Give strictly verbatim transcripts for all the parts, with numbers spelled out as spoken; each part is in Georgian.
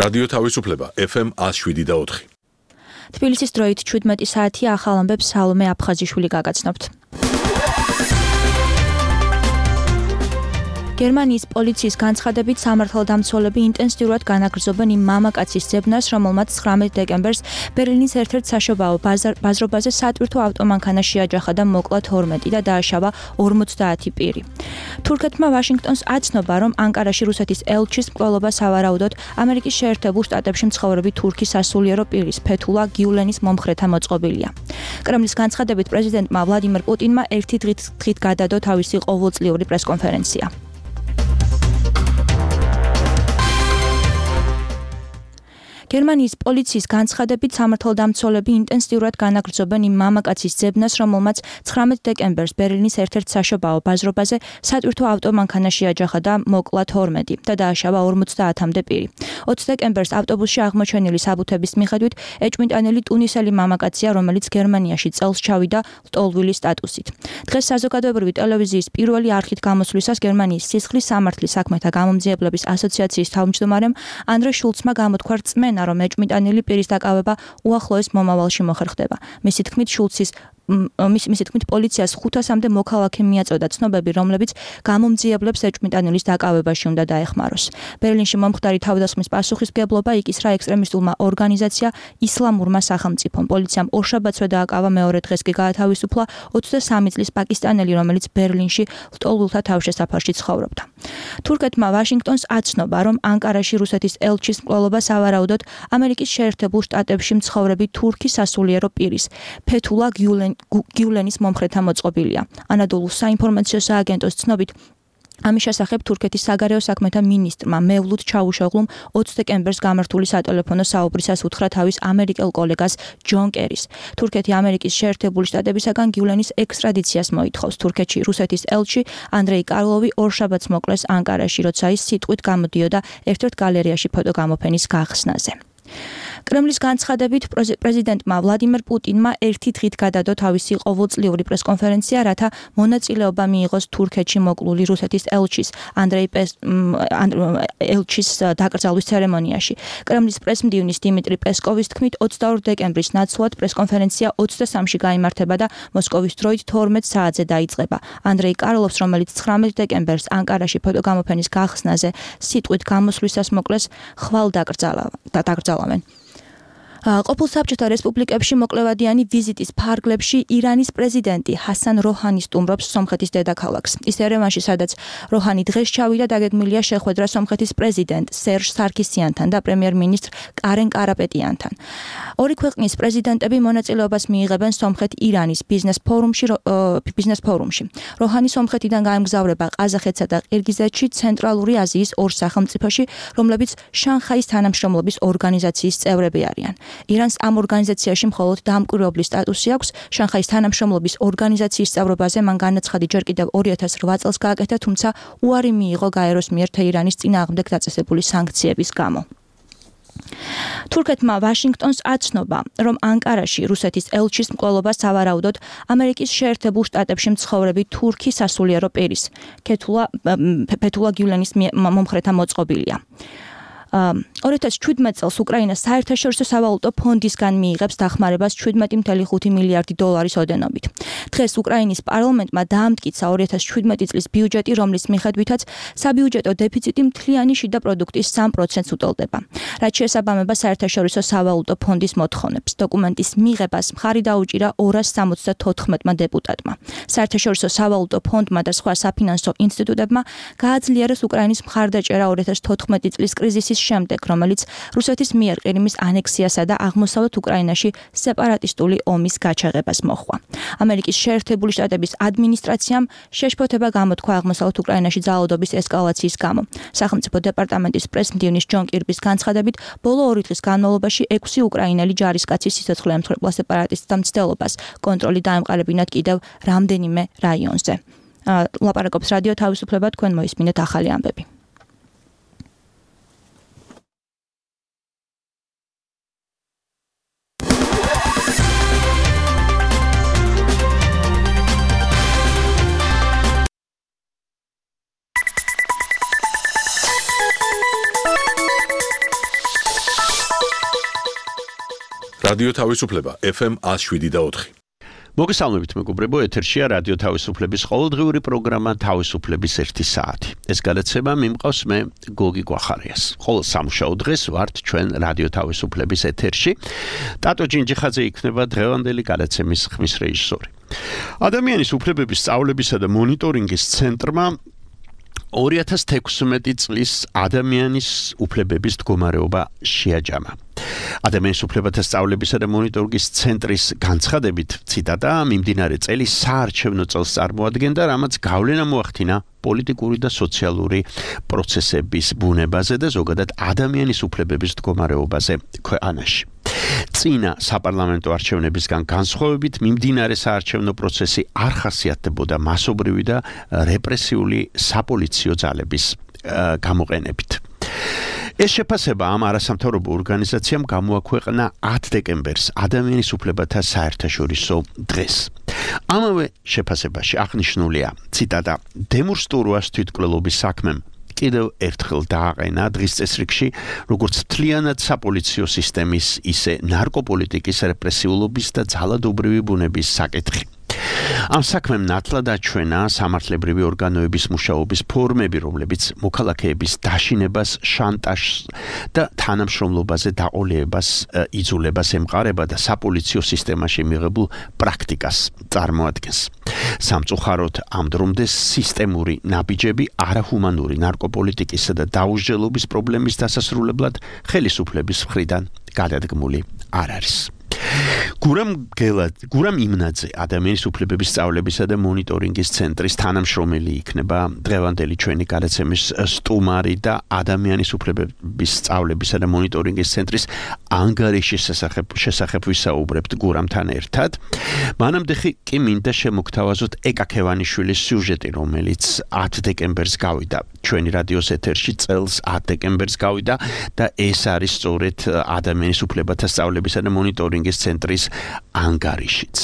რადიო თავისუფლება ეფ ემ one oh seven და four. თბილისის დროით შვიდმეტი საათი ახალ ამბებს სალომე აფხაზიშვილი გაგაცნობთ. გერმანიის პოლიციის განცხადებით სამართალდამცველები ინტენსიურად განაგრძობენ იმ მამაკაცის ძებნას, რომელმაც ცხრამეტ დეკემბერს ბერლინის ერთ-ერთ საშობაო ბაზრობაზე სატვირთო ავტომანქანა შეაჯახა და მოკლა თორმეტი და დააშავა ორმოცდაათი პირი. თურქეთმა ვაშინგტონს აცნობა, რომ ანკარაში რუსეთის ელჩის მკვლელობა სავარაუდოდ ამერიკის შეერთებულ შტატებში მცხოვრები თურქის სასულიერო პირის ფეთულა გიულენის მომხრეთა მოწყობილია. კრემლის განცხადებით პრეზიდენტმა ვლადიმერ პუტინმა ერთი დღით გადადო თავისი ყოველწლიური პრესკონფერენცია. გერმანიის პოლიციის განცხადებით სამართალდამცველები ინტენსიურად განაგრძობენ იმ მამაკაცის ძებნას, რომელმაც ცხრამეტ დეკემბერს ბერლინის ერთ-ერთ საშობაო ბაზრობაზე სატვირთო ავტომანქანა შეაჯახა და მოკლა თორმეტი და დააშავა ორმოცდაათამდე პირი. ოცი დეკემბერს ავტობუსში აღმოჩენილი საბუთების მიხედვით ეჭვმიტანილი ტუნისელი მამაკაცია, რომელიც გერმანიაში წელს ჩავიდა ლტოლვილის სტატუსით. დღეს საზოგადოებრივი ტელევიზიის პირველი არხით გამოსვლისას გერმანიის სისხლის სამართლის საქმეთა გამომძიებლების ასოციაციის თავმჯდომარემ ანდრე შულცმა გამოთქვა რწმენა, რომ ეჭვმიტანილი პირის დაკავება უახლოეს მომავალში მოხერხდება. მისი თქმით, შულცის მისი თქმით, პოლიციას ხუთასამდე მოქალაქე მიაწოდა ცნობები, რომლებიც გამომძიებლებს ეჭვმიტანილის დაკავებაში უნდა დაეხმაროს. ბერლინში მომხდარი თავდასხმის პასუხისმგებლობა იკისრა ექსტრემისტულმა ორგანიზაცია ისლამურმა სახელმწიფომ. პოლიციამ ორშაბათსვე დააკავა, მეორე დღეს კი გაათავისუფლა ოცდასამი წლის პაკისტანელი, რომელიც ბერლინში ლტოლვილთა თავშესაფარში ცხოვრობდა. თურქეთმა ვაშინგტონს აცნობა, რომ ანკარაში რუსეთის ელჩის მკვლელობა სავარაუდოდ ამერიკის შეერთებულ შტატებში მცხოვრები თურქის სასულიერო პირის ფეთულა გიულენის მომხრეთა მოწყობილია. ანადოლუს საინფორმაციო სააგენტოს ცნობით, ამის შესახებ თურქეთის საგარეო საქმეთა მინისტრმა მევლუდ ჩაუშოღლუმ ოცი დეკემბერს გამართული სატელეფონო საუბრისას უთხრა თავის ამერიკელ კოლეგას ჯონ კერის. თურქეთი ამერიკის შეერთებული შტატებისაგან გიულენის ექსტრადიციას მოითხოვს. თურქეთში რუსეთის ელჩი ანდრეი კარლოვი ორშაბათს მოკლეს ანკარაში, როცა ის სიტყვით გამოდიოდა ერთ-ერთ გალერეაში ფოტოგამოფენის გახსნაზე. კრემლის განცხადებით პრეზიდენტმა ვლადიმერ პუტინმა ერთი დღით გადადო თავისი ყოველწლიური პრესკონფერენცია, რათა მონაწილეობა მიიღოს თურქეთში მოკლული რუსეთის ელჩის ანდრეი ელჩის დაკრძალვის ცერემონიაში. კრემლის პრესმდივნის დიმიტრი პესკოვის თქმით, ოცდაორი დეკემბრის ნაცვლად პრესკონფერენცია ოცდასამში გაიმართება და მოსკოვის დროით თორმეტ საათზე დაიწყება. ანდრეი კარლოვს, რომელიც ცხრამეტ დეკემბერს ანკარაში ფოტოგამოფენის გახსნაზე სიტყვით გამოსვლისას მოკლეს, ხვალ დაკრძალავენ. ყოფილ საბჭოთა რესპუბლიკებში მოკლევადიანი ვიზიტის ფარგლებში ირანის პრეზიდენტი ჰასან როჰანი სტუმრობს სომხეთის დედაქალაქს. ის ერევანში, სადაც როჰანი დღეს ჩავიდა, დაგეგმილია შეხვედრა სომხეთის პრეზიდენტ სერჟ სარქისიანთან და პრემიერ-მინისტრ კარენ კარაპეტიანთან. ორი ქვეყნის პრეზიდენტები მონაწილეობას მიიღებენ სომხეთ-ირანის ბიზნეს ფორუმში. ბიზნეს ფორუმში. როჰანი სომხეთიდან გაემგზავრება ყაზახეთსა და ყირგიზეთში, ცენტრალური აზიის ორ სახელმწიფოში, რომლებიც შანხაის თანამშრომლობის ორგანიზაციის წევრები არიან. ირანს ამ ორგანიზაციაში მხოლოდ დამკვირვებლის სტატუსი აქვს. შანხაის თანამშრომლობის ორგანიზაციის წევრობაზე მან განაცხადი ჯერ კიდევ ორი ათას რვა წელს გააკეთა, თუმცა უარი მიიღო გაეროს მიერ თეირანის წინააღმდეგ დაწესებული სანქციების გამო. თურქეთმა ვაშინგტონს აცნობა, რომ ანკარაში რუსეთის ელჩის მკვლელობა სავარაუდოდ ამერიკის შეერთებულ შტატებში მცხოვრები თურქის სასულიერო პირის ფეთულა გიულენის მომხრეთა მოწყობილია. ორი ათას შვიდმეტ წელს უკრაინა საერთაშორისო სავალუტო ფონდისგან მიიღებს დახმარებას შვიდმეტი წუთი ხუთი მილიარდი დოლარის ოდენობით. დღეს უკრაინის პარლამენტმა დაამტკიცა ორი ათას შვიდმეტი წლის ბიუჯეტი, რომლის მიხედვითაც საბიუჯეტო დეფიციტი მთლიანი შიდა პროდუქტის სამ პროცენტს უტოლდება. რაც შეესაბამება საერთაშორისო სავალუტო ფონდის მოთხოვნებს. დოკუმენტის მიღებას მხარი დაუჭირა ორას სამოცდათოთხმეტმა დეპუტატმა. საერთაშორისო სავალუტო ფონდმა და სხვა საფინანსო ინსტიტუტებმა გააძლიერეს უკრაინის მხარდაჭერა ორი ათას თოთხმეტი წლის კრიზისის შემდეგ, რომელიც რუსეთის მიერ ყირიმის ანექსიასა და აღმოსავლეთ უკრაინაში სეპარატისტული ომის გაჩაღებას მოჰყვა. ამერიკის შეერთებული შტატების ადმინისტრაციამ შეშფოთება გამოთქვა აღმოსავლეთ უკრაინაში ძალადობის ესკალაციის გამო. სახელმწიფო დეპარტამენტის პრესმდივნის ჯონ კირბის განცხადებით, ბოლო ორი დღის განმავლობაში ექვსი უკრაინელი ჯარისკაცი სიცოცხლე ემსხვერპლა სეპარატისტთა მცდელობას. კონტროლი დაემყარებინათ კიდევ რამდენიმე რაიონზე. ლაპარაკობს რადიო თავისუფლება, თქვენ მოისმინეთ ახალი ამბები. რადიო თავისუფლება ეფ ემ one oh seven point four. მოგესალმებით მეგობრებო, ეთერშია რადიო თავისუფლების ყოველდღიური პროგრამა თავისუფლების ერთი საათი. ეს გადაცემა მიმყავს მე გოგი გვახარიას. ყოველ სამუშაო დღეს ვართ ჩვენ რადიო თავისუფლების ეთერში. ტატო ჯინჯიხაძე იქნება დღევანდელი გადაცემის ხმის რეჟისორი. ადამიანის უფლებების სწავლებისა და მონიტორინგის ცენტრმა ორი ათას თექვსმეტი წლის ადამიანის უფლებების მდგომარეობა შეაჯამა. ადამიანის უფლებათა სწავლებისა და მონიტორინგის ცენტრის განცხადებით, ციტატა, მიმდინარე წელი საარჩევნო წელს წარმოადგენდა, რამაც გავლენა მოახდინა პოლიტიკური და სოციალური პროცესების ბუნებაზე და ზოგადად ადამიანის უფლებების მდგომარეობაზე ქვეყანაში. წინა საპარლამენტო არჩევნებისგან განსხვავებით, მიმდინარე საარჩევნო პროცესი არ ხასიათდებოდა მასობრივი და რეპრესიული საპოლიციო ძალების გამოყენებით. ეს შეფასება ამ არასამთავრობო ორგანიზაციამ გამოაქვეყნა ათ დეკემბერს ადამიანის უფლებათა საერთაშორისო დღეს. ამავე შეფასებაში აღნიშნულია, ციტატა, დემონსტრუას თვითმკვლელობის საქმემ კიდევ ერთხელ დააყენა დღის წესრიგში, როგორც მთლიანად საპოლიციო სისტემის, ისე ნარკოპოლიტიკის რეპრესიულობის და ძალადობრივი ბუნების საკითხი. ამ საქმემ ნათლად აჩვენა სამართლებრივი ორგანოების მუშაობის ფორმები, რომლებიც მოქალაქეების დაშინებას, შანტაჟს და თანამშრომლობაზე დაყოლებას, იძულებას ემყარება და საპოლიციო სისტემაში მიღებულ პრაქტიკას წარმოადგენს. სამწუხაროდ ამ დრომდე სისტემური ნაბიჯები არაჰუმანური ნარკოპოლიტიკისა და დაუსჯელობის პრობლემის დასასრულებლად ხელისუფლების მხრიდან გადადგმული არ არის. გურამ გელად, გურამ იმნაძე ადამიანის უფლებების სწავლებისა და მონიტორინგის ცენტრის თანამშრომელი იქნება დღევანდელი ჩვენი გადაცემის სტუმარი და ადამიანის უფლებების სწავლებისა და მონიტორინგის ცენტრის ანგარიშის შესახებ შესახებ ვისაუბრებთ გურამთან ერთად. მანამდე კი მინდა შემოგთავაზოთ ეკა ქევანიშვილის სიუჟეტი, რომელიც ათ დეკემბერს გავიდა ჩვენი რადიოს ეთერში, წელს ათ დეკემბერს გავიდა და ეს არის სწორედ ადამიანის უფლებათა სწავლებისა და მონიტორინგის ცენტრის ანგარიშიც.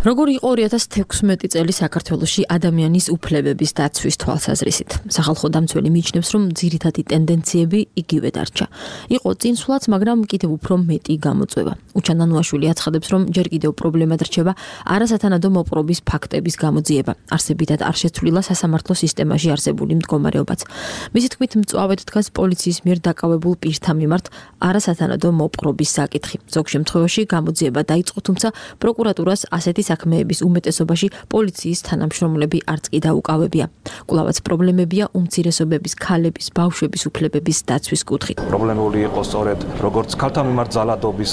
როგორი იყო ორი ათას თექვსმეტი წელი საქართველოში ადამიანის უფლებების დაცვის თვალსაზრისით? სახალხო დამცველი მიიჩნევს, რომ ძირითადი ტენდენციები იგივე დარჩა. იყო წინსვლაც, მაგრამ კიდევ უფრო მეტი გამოწვევა. უჩან ნანუაშვილი აცხადებს, რომ ჯერ კიდევ პრობლემად რჩება არასათანადო მოპყრობის ფაქტების გამოძიება. არსებითად არ შეცვლილა სასამართლო სისტემაში არსებული მდგომარეობაც. მისი თქმით, მწვავედ დგას პოლიციის მიერ დაკავებულ პირთა მიმართ არასათანადო მოპყრობის საკითხი. ზოგ შემთხვევაში გამოძიება დაიწყო, თუმცა პროკურატურას ასეთი საქმეების უმეტესობაში პოლიციის თანამშრომლები არც კი დაუკავებია. კვლავაც პრობლემებია უმცირესობების, ქალების, ბავშვების უფლებების დაცვის კუთხით. პრობლემური იყო სწორედ როგორც ქალთა მიმართ ძალადობის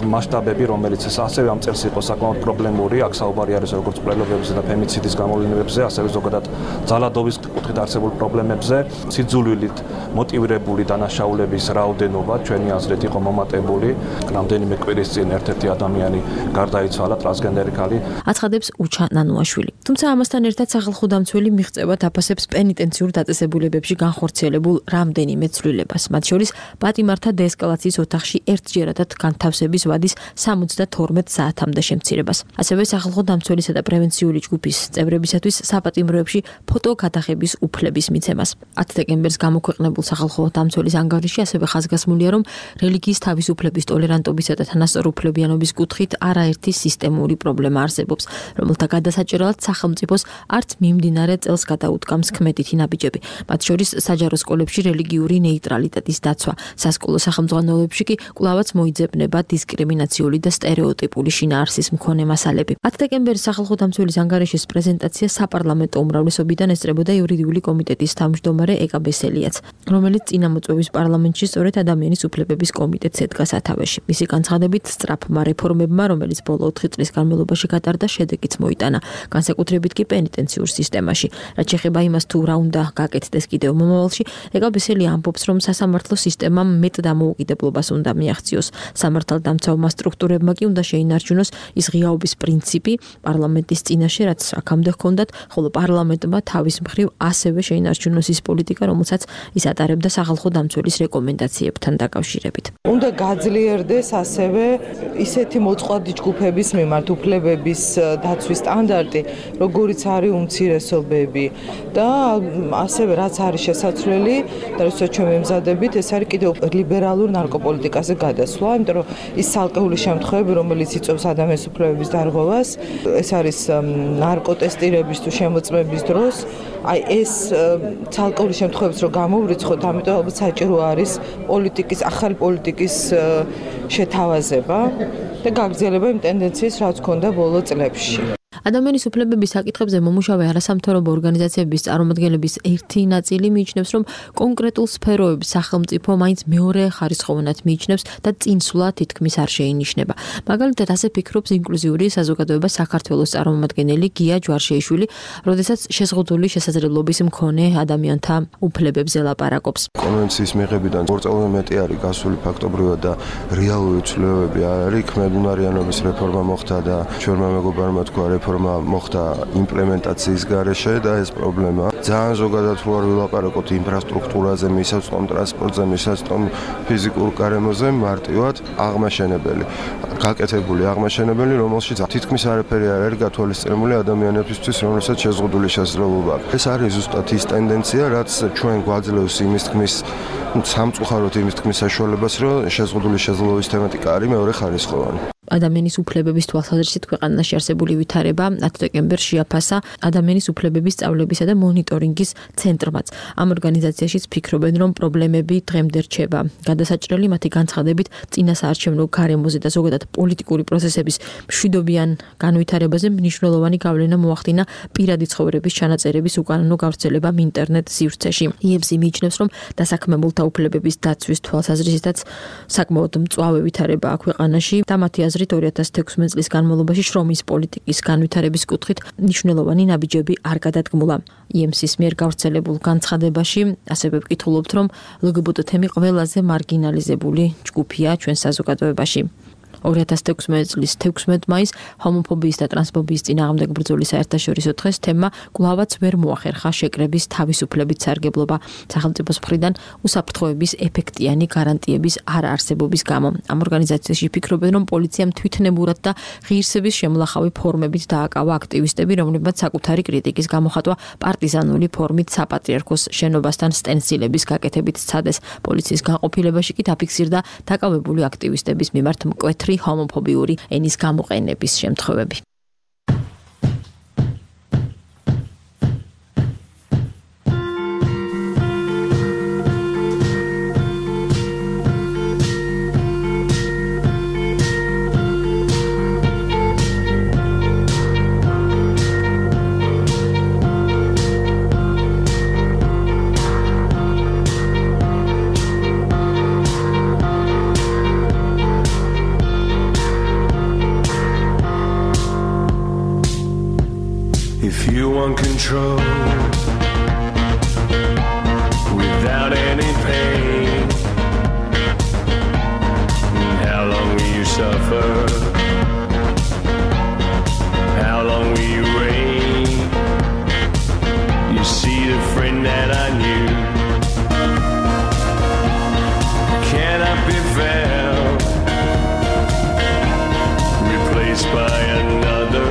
მასშტაბები, რომელიც ასევე ამ წელს იყო საკმაოდ პრობლემური, აქ საუბარი არის როგორც მკვლელობებზე და ფემიციდის გამოვლენებზე, ასევე ზოგადად ძალადობის კუთხით არსებულ პრობლემებზე. სიძულვილით მოტივირებული დანაშაულების რაოდენობა ჩვენი აზრით იყო მომატებული. რამდენიმე კვირის წინ ერთ-ერთი ადამიანი გარდაიცვალა, ტრანსგენდერი ქალი. აცხადებს უჩა ნანუაშვილი. თუმცა ამასთან ერთად სახალხო დამცველი მიღწევად აფასებს პენიტენციურ დაწესებულებებში განხორციელებულ რამდენიმე ცვლილებას. მათ შორის პატიმართა დეესკალაციის ოთახში ერთჯერადად განთავსების ვადის სამოცდათორმეტ საათამდე შემცირებას. ასევე სახალხო დამცველისა და პრევენციული ჯგუფის წევრებისათვის საპატიმროებში ფოტოკადახების უფლების მიცემას. ათ დეკემბერს გამოქვეყნებულ სახალხო დამცველის ანგარიში ასევე ხაზგასმულია, რომ რელიგიის თავისუფლების, ტოლერანტობისა და თანასწორუფლებიანობის კუთხით არაერთი სისტემური პრობლემა არსებობს, რომელთა გადასაჭერად სახელმწიფოს არც მიმდინარე წელს გადაუდგამს ქმედითი ნაბიჯები. მათ შორის საჯარო სკოლებში რელიგიური ნეიტრალიტეტის დაცვა, სასკოლო სახელმძღვანელოებში კი კვლავაც მოიძებნება დისკრიმინაციული და სტერეოტიპული შინაარსის მქონე მასალები. ათ დეკემბერის სახალხო დამცველის ანგარიშის პრეზენტაცია საპარლამენტო უმრავლესობიდან ესწრებოდა იურიდიული კომიტეტის თავმჯდომარე ეკა ბესელიაც, რომელიც წინამოწვევის პარლამენტში სწორედ ადამიანის უფლებების კომიტეტს ედგა სათავეში. მისი განცხადებით, სწრაფმა რეფორმებმა, რომელიც ბოლო ოთხი წლის განმავლობაში გატარდა, შედეგიც მოიტანა, განსაკუთრებით კი პენიტენციურ სისტემაში. რაც შეეხება იმას, თუ რა უნდა გაკეთდეს კიდევ მომავალში, ეკა ბესელია ამბობს, რომ სასამართლო სისტემამ მეტ დამოუკიდებლობას უნდა მიაღწიოს. სამართალდამცავმა სტრუქტურებმა კი უნდა შეინარჩუნოს ის ღიაობის პრინციპი პარლამენტის წინაშე, რაც აქამდე ჰქონდათ, ხოლო პარლამენტმა თავის მხრივ ასევე შეინარჩუნოს ის პოლიტიკა, რომელსაც ის ატარებდა სახალხო დამცველის რეკომენდაციებთან დაკავშირებით. უნდა გაძლიერდეს ასევე ისეთი მოწყვლადი ჯგუფების მიმართ, უფლებების უფლებების დაცვის სტანდარტი, როგორიც არის უმცირესობები და ასევე რაც არის შესაძლებელი და როცა ჩვენ მემზადებით, ეს არის კიდევ ლიბერალურ ნარკოპოლიტიკაზე გადასვლა, იმიტომ რომ ის ცალკეული შემთხვევები, რომელიც იწვევს ადამიანის უფლებების დარღვევას, ეს არის ნარკოტესტირების თუ შემოწმების დროს, აი ეს ცალკეული შემთხვევებს რო გამოვრიცხოთ, ამიტომ ალბათ საჭირო არის პოლიტიკის, ახალი პოლიტიკის შეთავაზება და გაგრძელება იმ ტენდენციის, რაც ჰქონდა ბოლო წლებში. ადამიანის უფლებების საკითხებზე მომუშავე არასამთავრობო ორგანიზაციების წარმომადგენლების ერთი ნაწილი მიიჩნევს, რომ კონკრეტულ სფეროებს სახელმწიფო მაინც მეორე ხარისხოვანად მიიჩნევს და წინსვლა თითქმის არ შეინიშნება. მაგალითად, ასე ფიქრობს ინკლუზიური საზოგადოება საქართველოს წარმომადგენელი გია ჯვარშეიშვილი, როდესაც შეზღუდული შესაძლებლობის მქონე ადამიანთა უფლებებზე ლაპარაკობს. კონვენციის მიღებიდან ორ წელზე მეტი არის გასული ფაქტობრივად და რეალური ცვლილებები არის. ქმედუნარიანობის რეფორმა მოხდა და ჩვენმა მეგობარმა თქვა რეფორმა მოხდა იმპლემენტაციის გარეშე და ეს პრობლემა. ძალიან ზოგადად რო არ ვილაპარაკოთ ინფრასტრუქტურაზე, მისაწვდომ ტრანსპორტზე, მისაწვდომ ფიზიკურ გარემოზე, მარტივად აღმაშენებელი. გაკეთებული აღმაშენებელი, რომელშიც თითქმის არაფერი არ არის გათვალისწინებული ადამიანებისთვის, რომელსაც შეზღუდული შესაძლებლობა აქვს. ეს არის ზუსტად ის ტენდენცია, რაც ჩვენ გვაძლევს იმის თქმის სამწუხაროდ იმის თქმის საშუალებას, რომ შეზღუდული შესაძლებლობის თემატიკა არის მეორე ხარისხოვანი. ადამიანის უფლებების თვალსაზრისით ქვეყანაში არსებული ვითარება ათი დეკემბერს შეაფასა ადამიანის უფლებების სწავლებისა და მონიტორინგის ცენტრმაც. ამ ორგანიზაციაშიც ფიქრობენ, რომ პრობლემები დღემდე რჩება. გადასაჭრელი მათი განცხადებით წინასაარჩევნო გარემოზე და ზოგადად პოლიტიკური პროცესების მშვიდობიან განვითარებაზე მნიშვნელოვანი გავლენა მოახდინა პირადი ცხოვრების ჩანაწერების უკანონო გავრცელებამ ინტერნეტ სივრცეში. იემსი მიიჩნევს, რომ დასაქმებულთა უფლებების დაცვის თვალსაზრისითაც საკმაოდ მწვავე ვითარებაა ქვეყანაში და მათი ორი ათას თექვსმეტ წლის განმავლობაში შრომის პოლიტიკის განვითარების კუთხით მნიშვნელოვანი ნაბიჯები არ გადადგმულა. იემსის მიერ გავრცელებულ განცხადებაში ასევე ვკითხულობთ, რომ ლგბტ თემი ყველაზე მარგინალიზებული ჯგუფია ჩვენ საზოგადოებაში. ორი ათას თექვსმეტ წლის თექვსმეტ მაისს ჰომოფობიის და ტრანსფობიის წინააღმდეგ ბრძოლის საერთაშორისო დღეს თემა კვლავაც ვერ მოახერხა შეკრების თავისუფლებით სარგებლობა სახელმწიფოს მხრიდან უსაფრთხოების ეფექტიანი გარანტიების არაარსებობის გამო. ამ ორგანიზაციაში ფიქრობენ, რომ პოლიციამ თვითნებურად და ღირსების შემლახავი ფორმებით დააკავა აქტივისტები, რომლებმაც საკუთარი კრიტიკის გამოხატვა პარტიზანული ფორმით საპატრიარქოს შენობასთან სტენსილების გაკეთებით სცადეს. პოლიციის განყოფილებაში კი დაფიქსირდა დაკავებული აქტივისტების მიმართ მკვეთრი ჰომოფობიური ენის გამოყენების შემთხვევები. If you want control without any pain, how long will you suffer? How long will you reign? You see the friend that I knew cannot be found, replaced by another.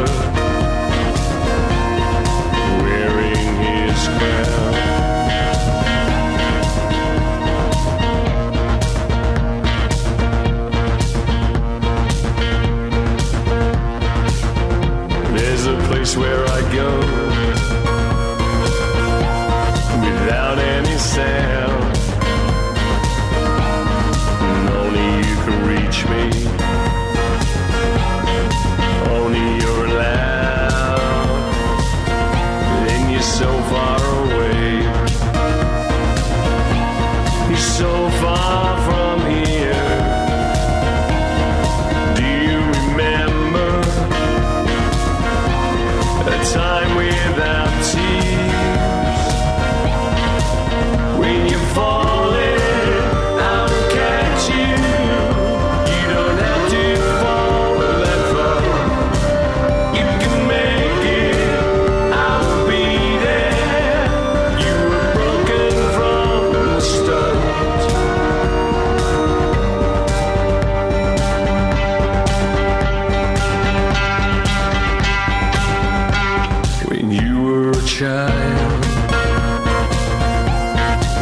a child.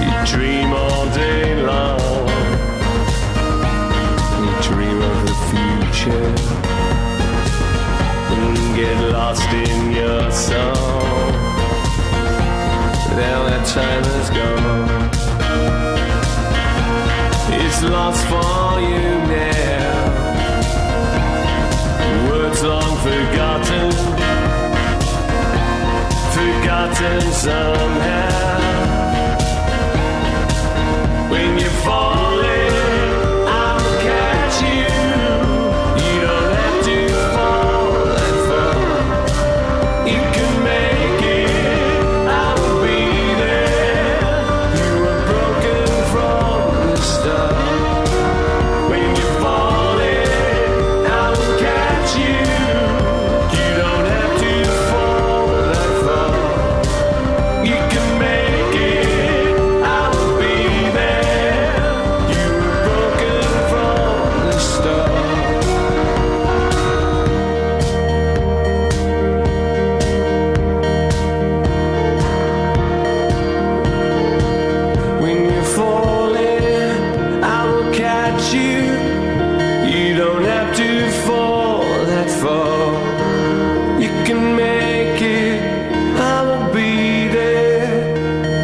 You dream all day long. You dream of the future and get lost in your song. Now that time is gone. It's lost for you now. Words long forgotten, forgotten somehow. When you're falling, I'll catch you. You don't have to fall that far. You can make it, I will be there. You were broken from the start. When you're falling, I will catch you. You don't have to fall that far. You can make it, I will be there. You were broken from the start. When you're falling, I will catch you. You don't have to fall that far. You can make it, I will be there.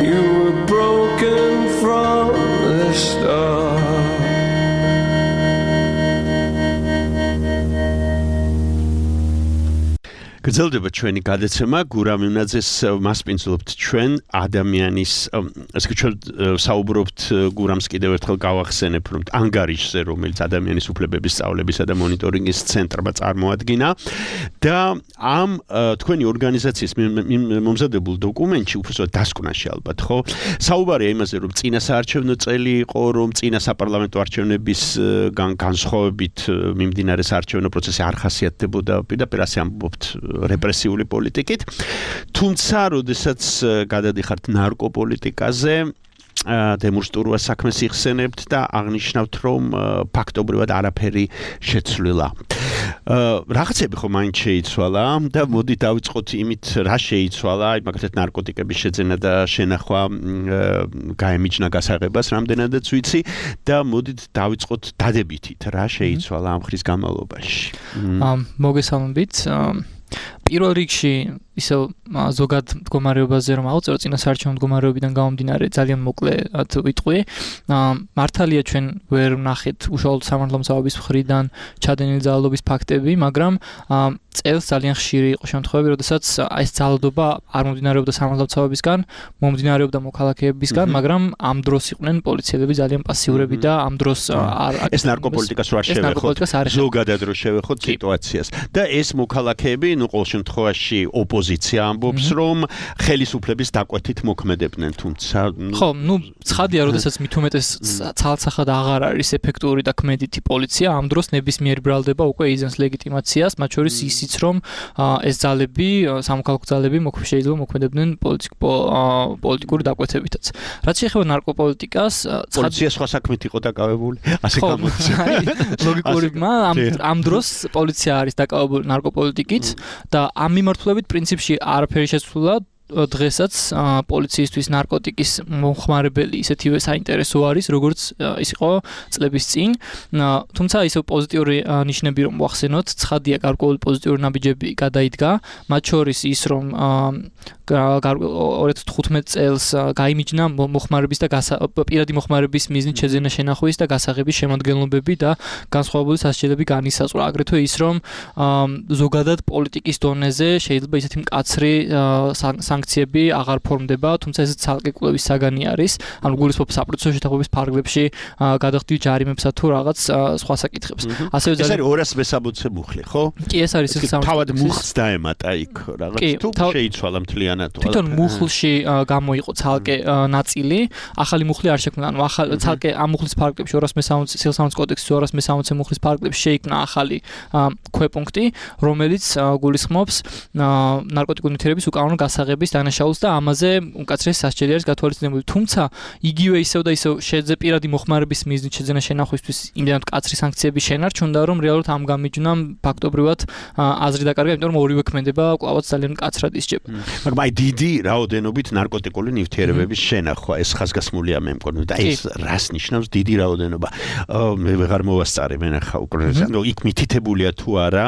You were broken from the start. გრძელდება ჩვენი გადაცემა გურამუნაძეს მასპინძლობთ ჩვენ ადამიანის ასე ჩვენ საუბრობთ გურამს კიდევ ერთხელ გავახსენებ რომ ანგარიშზე რომელიც ადამიანის უფლებების სწავლებისა და მონიტორინგის ცენტრმა წარმოადგინა და ამ თქვენი ორგანიზაციის მომზადებულ დოკუმენტში უბრალოდ დასკვნაში ალბათ ხო საუბარია იმაზე რომ წინა საარჩევნო წელი იყო რომ წინა საპარლამენტო არჩევნების განსხვავებით მიმდინარე საარჩევნო პროცესი არ ხასიათდებოდა პირდაპირ ასე ამბობთ რეპრესიული პოლიტიკით თუმცა როდესაც გადადიხართ ნარკოპოლიტიკაზე დემონსტრუა საქმეს იხსენებთ და აღნიშნავთ რომ ფაქტობრივად არაფერი შეცვლილა რაღაცები ხო მაინც შეიცვალა და მოდი დავიწყოთ იმით რა შეიცვალა აი მაგალითად ნარკოტიკების შეძენა და შენახვა გაემიჯნა გასაღებას რამდენადაც ვიცი და მოდით დავიწყოთ დადებითით რა შეიცვალა ამ ხრის განმავლობაში მოგესალმებით პირველ რიგში ისევ ზოგად მდგომარეობაზე რომ ავწერო წინა საარჩევნო მდგომარეობიდან გამომდინარე ძალიან მოკლედ ვიტყვი მართალია ჩვენ ვერ ვნახეთ უშუალოდ სამართლო მცავების მხრიდან ჩადენილი ძალადობის ფაქტები მაგრამ წელს ძალიან ხშირი იყო შემთხვევები როდესაც ეს ძალადობა არ მომდინარეობდა სამართლო მცავებისგან მომდინარეობდა მოქალაქეებისგან მაგრამ ამ დროს იყვნენ პოლიციელები ძალიან პასიურები და ამ დროს არ ეს ნარკოპოლიტიკას რო არ შევეხოთ ზოგადად რო შევეხოთ სიტუაციას და ეს მოქალაქეები ნუ ყოველ შემთხვევაში ოპოზიცია ამბობს რომ ხელისუფლების დაკვეთით მოქმედებდნენ თუმცა ხო ნუ ცხადია როდესაც მით უმეტეს ცალსახად აღარ არის ეფექტური და ქმედითი პოლიცია ამ დროს ნებისმიერი ბრალდება უკვე იძენს ლეგიტიმაციას მათ შორის ისიც რომ ეს ძალები სამოქალაქო ძალები შეიძლება მოქმედებდნენ პოლიტიკური დაკვეთებითაც რაც შეეხება ნარკოპოლიტიკას პოლიცია სხვა საქმით იყო დაკავებული ასე გამოდის ლოგიკური ამ დროს პოლიცია არის დაკავებული ნარკოპოლიტიკით და ამ მიმართულებით პრინციპში არაფერი შეცვლილა დღესაც პოლიციისთვის ნარკოტიკის მომხმარებელი ისეთივე საინტერესო არის როგორც ის იყო წლების წინ თუმცა ისევ პოზიტიური ნიშნები რომ ვახსენოთ ცხადია გარკვეული პოზიტიური ნაბიჯები გადაიდგა მათ შორის ის რომ ორი ათას თხუთმეტ წელს გაიმიჯნა მოხმარების და პირადი მოხმარების მიზნით შეძენა შენახვის და გასაღების შემადგენლობები და განსხვავებული სასჯელები განისაზღვრა აგრეთვე ის რომ ზოგადად პოლიტიკის დონეზე შეიძლება ისეთი მკაცრი სანქციები აღარ ფორმდება თუმცა ეს ცალკე კვლევის საგანი არის ანუ გულისხმობ საპროცესო შეთანხმების ფარგლებში გადახდით ჯარიმებსა თუ რაღაც სხვა საკითხებს ასევე ეს არის ორას მესამოცე მუხლი ხო კი ეს არის ის თავად მუხლს დაემატა იქ რაღაც თუ შეიცვალა მთლიანად თვითონ მუხლში გამოიყო ცალკე ნაწილი ახალი მუხლი არ შექმნა ანუ ახალი ცალკე ამ მუხლის ფარგლებში ორას მესამოცე სიელსამართლოს კოდექსის ორას მესამოცე მუხლის ფარგლებში შეიქმნა ახალი ქვეპუნქტი რომელიც გულისხმობს ნარკოტიკული ნივთიერების უკანონო გასაღების დანაშაულს და ამაზე უკაცრიეს სასჯელი არის გათვალისწინებული თუმცა იგივე ისევ და ისევ შეძე პირადი მოხმარების მიზნით შეძენა შენახვისთვის იმდენად მკაცრი სანქციები შენარჩუნდა რომ რეალურად ამ გამიჯნამ ფაქტობრივად აზრი დაკარგა იმიტომ რომ ორივე ქმედება კვლავაც ძალიან მკაცრად ისჯება მაგრამ აი აი დიდი რაოდენობით ნარკოტიკული ნივთიერებების შენახვა, ეს ხაზგასმულია მე მგონი და ეს რას ნიშნავს დიდი რაოდენობა? მე ვეღარ მოვასწარე მე ნახა უკვე, ანუ იქ მითითებულია თუ არა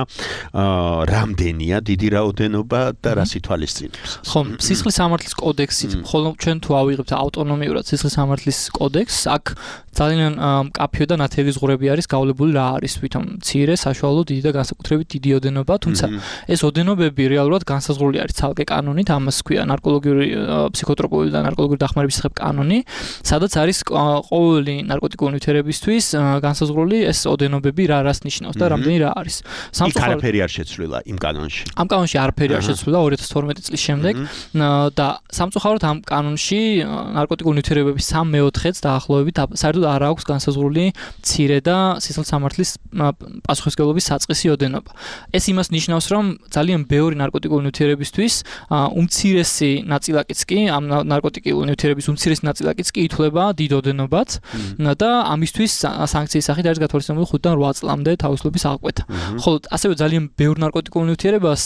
რამდენია დიდი რაოდენობა და რას ითვალისწინებს. ხო, სისხლის სამართლის კოდექსით, ხოლო ჩვენ თუ ავიღებთ ავტონომიურად სისხლის სამართლის კოდექსს, აქ ძალიან მკაფიო და ნათელი ზღურები არის გავლებული რა არის თვითონ მცირე, საშუალო, დიდი და განსაკუთრებით დიდი ოდენობა, თუმცა ეს ოდენობები რეალურად განსაზღვრული არის ცალკე კანონით, ამას ქვია ნარკოლოგიური, ფსიქოტროპული და ნარკოლოგიური დახმარების შესახებ კანონი, სადაც არის ყოველი ნარკოტიკული ნივთიერებისთვის განსაზღვრული ეს ოდენობები რა რას ნიშნავს და რამდენი რა არის. იქ არაფერი არ შეცვლილა იმ კანონში. ამ კანონში არაფერი არ შეცვლილა ორი ათას თორმეტი წლის შემდეგ და სამწუხაროდ ამ კანონში ნარკოტიკული ნივთიერებების სამ მეოთხედს დაახლოებით საერთოდ არ აქვს განსაზღვრული მცირე და სისხლის სამართლის პასუხისმგებლობის საწყისი ოდენობა. ეს იმას ნიშნავს, რომ ძალიან ბევრი ნარკოტიკული ნივთიერებისთვის უმცირესი ნაწილაკიც კი ამ ნარკოტიკული ნივთიერების უმცირესი ნაწილაკიც კი ითვლება დიდ ოდენობად და ამისთვის სანქციის სახით არის გათვალისწინებული ხუთიდან რვა წლამდე თავისუფლების აღკვეთა. ხოლო ასევე ძალიან ბევრ ნარკოტიკულ ნივთიერებას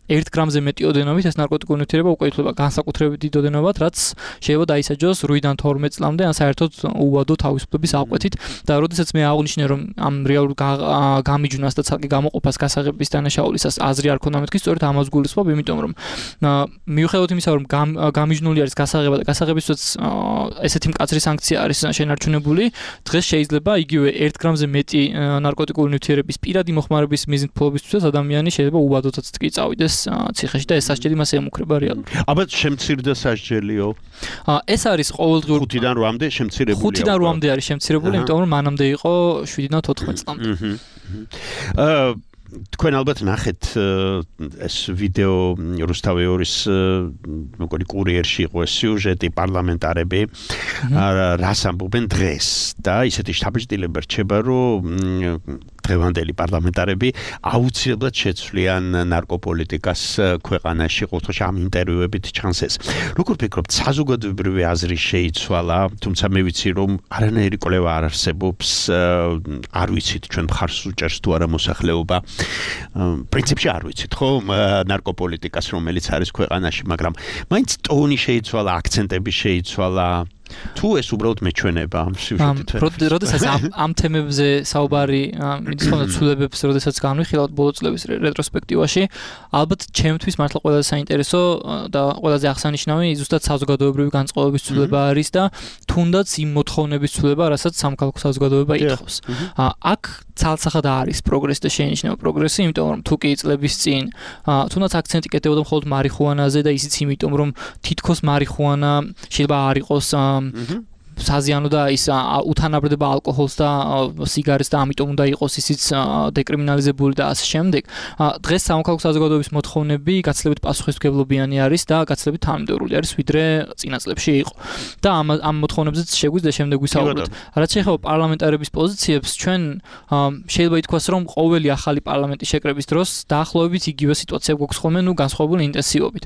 ერთ გრამზე მეტი ოდენობით ეს ნარკოტიკული ნივთიერება უკვე ითვლება განსაკუთრებით დიდ ოდენობად, რაც შეიძლება დაისაჯოს ორი-დან თორმეტ წლამდე ან საერთოდ უვადო თავისუფლების აღკვეთით და როდესაც მე აღვნიშნე რომ ამ რეალურ გამიჯვნას და ცალკე გამოყოფას გასაღების დანაშაულისას აზრი არ ქონდა მეთქი, სწორედ ამას გულისხმობ, იმიტომ რომ მიუხედავად იმისა, რომ გამიჯნული არის გასაღება და გასაღებისთვისაც ესეთი მკაცრი სანქცია არის შენარჩუნებული, დღეს შეიძლება იგივე ერთ გრამზე მეტი ნარკოტიკული ნივთიერების პირადი მოხმარების მიზნით ადამიანი შეიძლება უვადოთაც კი წავიდეს ციხეში და ეს სასჯელი მას ემუქრება რეალურად. აბა შემცირდა სასჯელიო? ეს არის ყოველდღიურ ხუთიდან რვამდე შემცირებული. ხუთიდან რვამდე არის შემცირებული, იმიტომ რომ მანამდე იყო შვიდიდან თოთხმეტ წლამდე. აა თქვენ ალბათ ნახეთ ეს ვიდეო რუსთავეორის მეგონი კურიერში იყო ეს სიუჟეტი პარლამენტარები რას ამბობენ დღეს და ისეთი შთაბეჭდილება რჩება რომ დღევანდელი პარლამენტარები აუცილებლად შეცვლიან ნარკოპოლიტიკას ქვეყანაში, ყოველთვის ამ ინტერვიუებით ჩანს ეს. როგორ ფიქრობთ, საზოგადოებრივი აზრი შეიცვალა, თუმცა მე ვიცი რომ არანაირი კვლევა არ არსებობს, არ ვიცით ჩვენ მხარს უჭერს თუ არა მოსახლეობა. პრინციპში არ ვიცით, ხო, ნარკოპოლიტიკას რომელიც არის ქვეყანაში, მაგრამ მაინც ტონი შეიცვალა, აქცენტები შეიცვალა. თუ ეს უბრალოდ მეჩვენება ამ სიუჟეტით. როდესაც ამ თემებზე საუბარი მიდის ხოლმე ცვლილებებს, როდესაც განვიხილავთ ბოლო წლების რეტროსპექტივაში, ალბათ ჩემთვის მართლა ყველაზე საინტერესო და ყველაზე აღსანიშნავი ზუსტად საზოგადოებრივი განწყობების ცვლილება არის და თუნდაც იმ მოთხოვნების ცვლილება, რასაც სამხალხო საზოგადოება ითხოვს. აქ ცალსახად არის პროგრესი და შეინიშნება პროგრესი, იმიტომ რომ თუ კი წლების წინ თუნდაც აქცენტი კეთდებოდა მხოლოდ მარიხუანაზე და ისიც იმიტომ რომ თითქოს მარიხუანა შეიძლება არ იყოს საზიანო და ის უთანაბრდება ალკოჰოლს და სიგარეტს და ამიტომ უნდა იყოს ისიც დეკრიმინალიზებული და ასე შემდეგ. დღეს სამოქალაქო საზოგადოების მოთხოვნები გაცილებით პასუხისმგებლობიანი არის და გაცილებით თანამედროვე არის ვიდრე წინა წლებში იყო. და ამ ამ მოთხოვნებზეც შეგვიძლია შემდეგ ვისაუბროთ. რაც შეეხება პარლამენტარების პოზიციებს, ჩვენ შეიძლება ითქვას, რომ ყოველი ახალი პარლამენტის შეკრების დროს დაახლოებით იგივე სიტუაცია გვაქვს ხოლმე, ნუ განსხვავებული ინტენსივობით.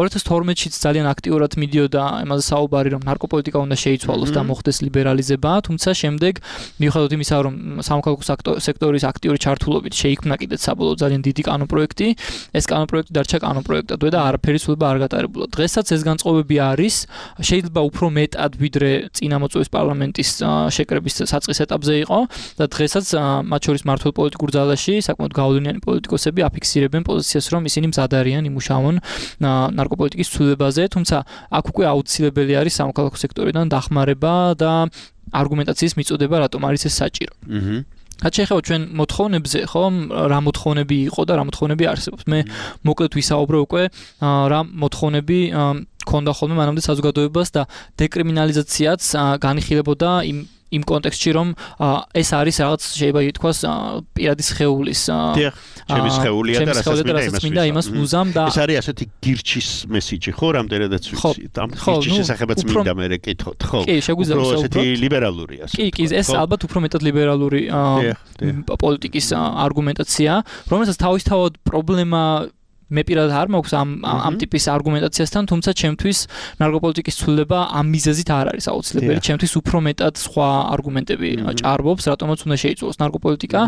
ორი ათას თორმეტშიც ძალიან აქტიურად მიდიოდა ამაზე საუბარი, რომ ნარკოპოლიტიკა უნდა შეიცვალოს და მოხდეს ლიბერალიზება, თუმცა შემდეგ მიუხედავად იმისა, რომ სამოქალაქო სექტორის აქტიური ჩართულობით შეიქმნა კიდეც საბოლოო ძალიან დიდი კანონპროექტი, ეს კანონპროექტი დარჩა კანონპროექტად და არაფერი ცვლილება არ გატარებულა. დღესაც ეს განწყობები არის, შეიძლება უფრო მეტად ვიდრე წინა მოწვევის პარლამენტის შეკრების საწყის ეტაპზე იყო და დღესაც მათ შორის მართულ პოლიტიკურ ძალაში საკმაოდ გავლენიანი პოლიტიკოსები აფიქსირებენ პოზიციას, რომ ისინი მზად არიან იმუშაონ ნარკოპოლიტიკის ცვლილებაზე, თუმცა აქ უკვე აუცილებელი არის სამოქალაქო სექტორიდან დახმარება და არგუმენტაციის მიწოდება, რატომ არის ეს საჭირო. აჰა. რაც შეეხება ჩვენ მოთხოვნებზე, ხო, რა მოთხოვნები იყო და რა მოთხოვნები არსებობს. მე მოკლედ ვისაუბრე უკვე რა მოთხოვნები ქონდა ხოლმე მანამდე საზოგადოებას და დეკრიმინალიზაციაც განიხილებოდა იმ იმ კონტექსტში, რომ ეს არის რაღაც შეიძლება ითქვას პირადი სხეულის ჩემი სხეულია და რასაც მინდა იმას მუზამ და ეს არის ასეთი გირჩის მესიჯი, ხო, რამდენადაც ვიცი. ამ გირჩის შესახებაც მინდა მე რეკითხოთ, ხო? კი, შეგვიძლია ვისაუბროთ. ესეთი ლიბერალურია. კი, კი, ეს ალბათ უფრო მეტად ლიბერალური პოლიტიკის არგუმენტაცია, რომელსაც თავისთავად პრობლემა მე პირადად არ მაქვს ამ ამ ტიპის არგუმენტაციასთან, თუმცა ჩემთვის ნარკოპოლიტიკის ცვლილება ამ მიზეზით არ არის აუცილებელი. ჩემთვის უფრო მეტად სხვა არგუმენტები ჭარბობს, რატომაც უნდა შეიცვალოს ნარკოპოლიტიკა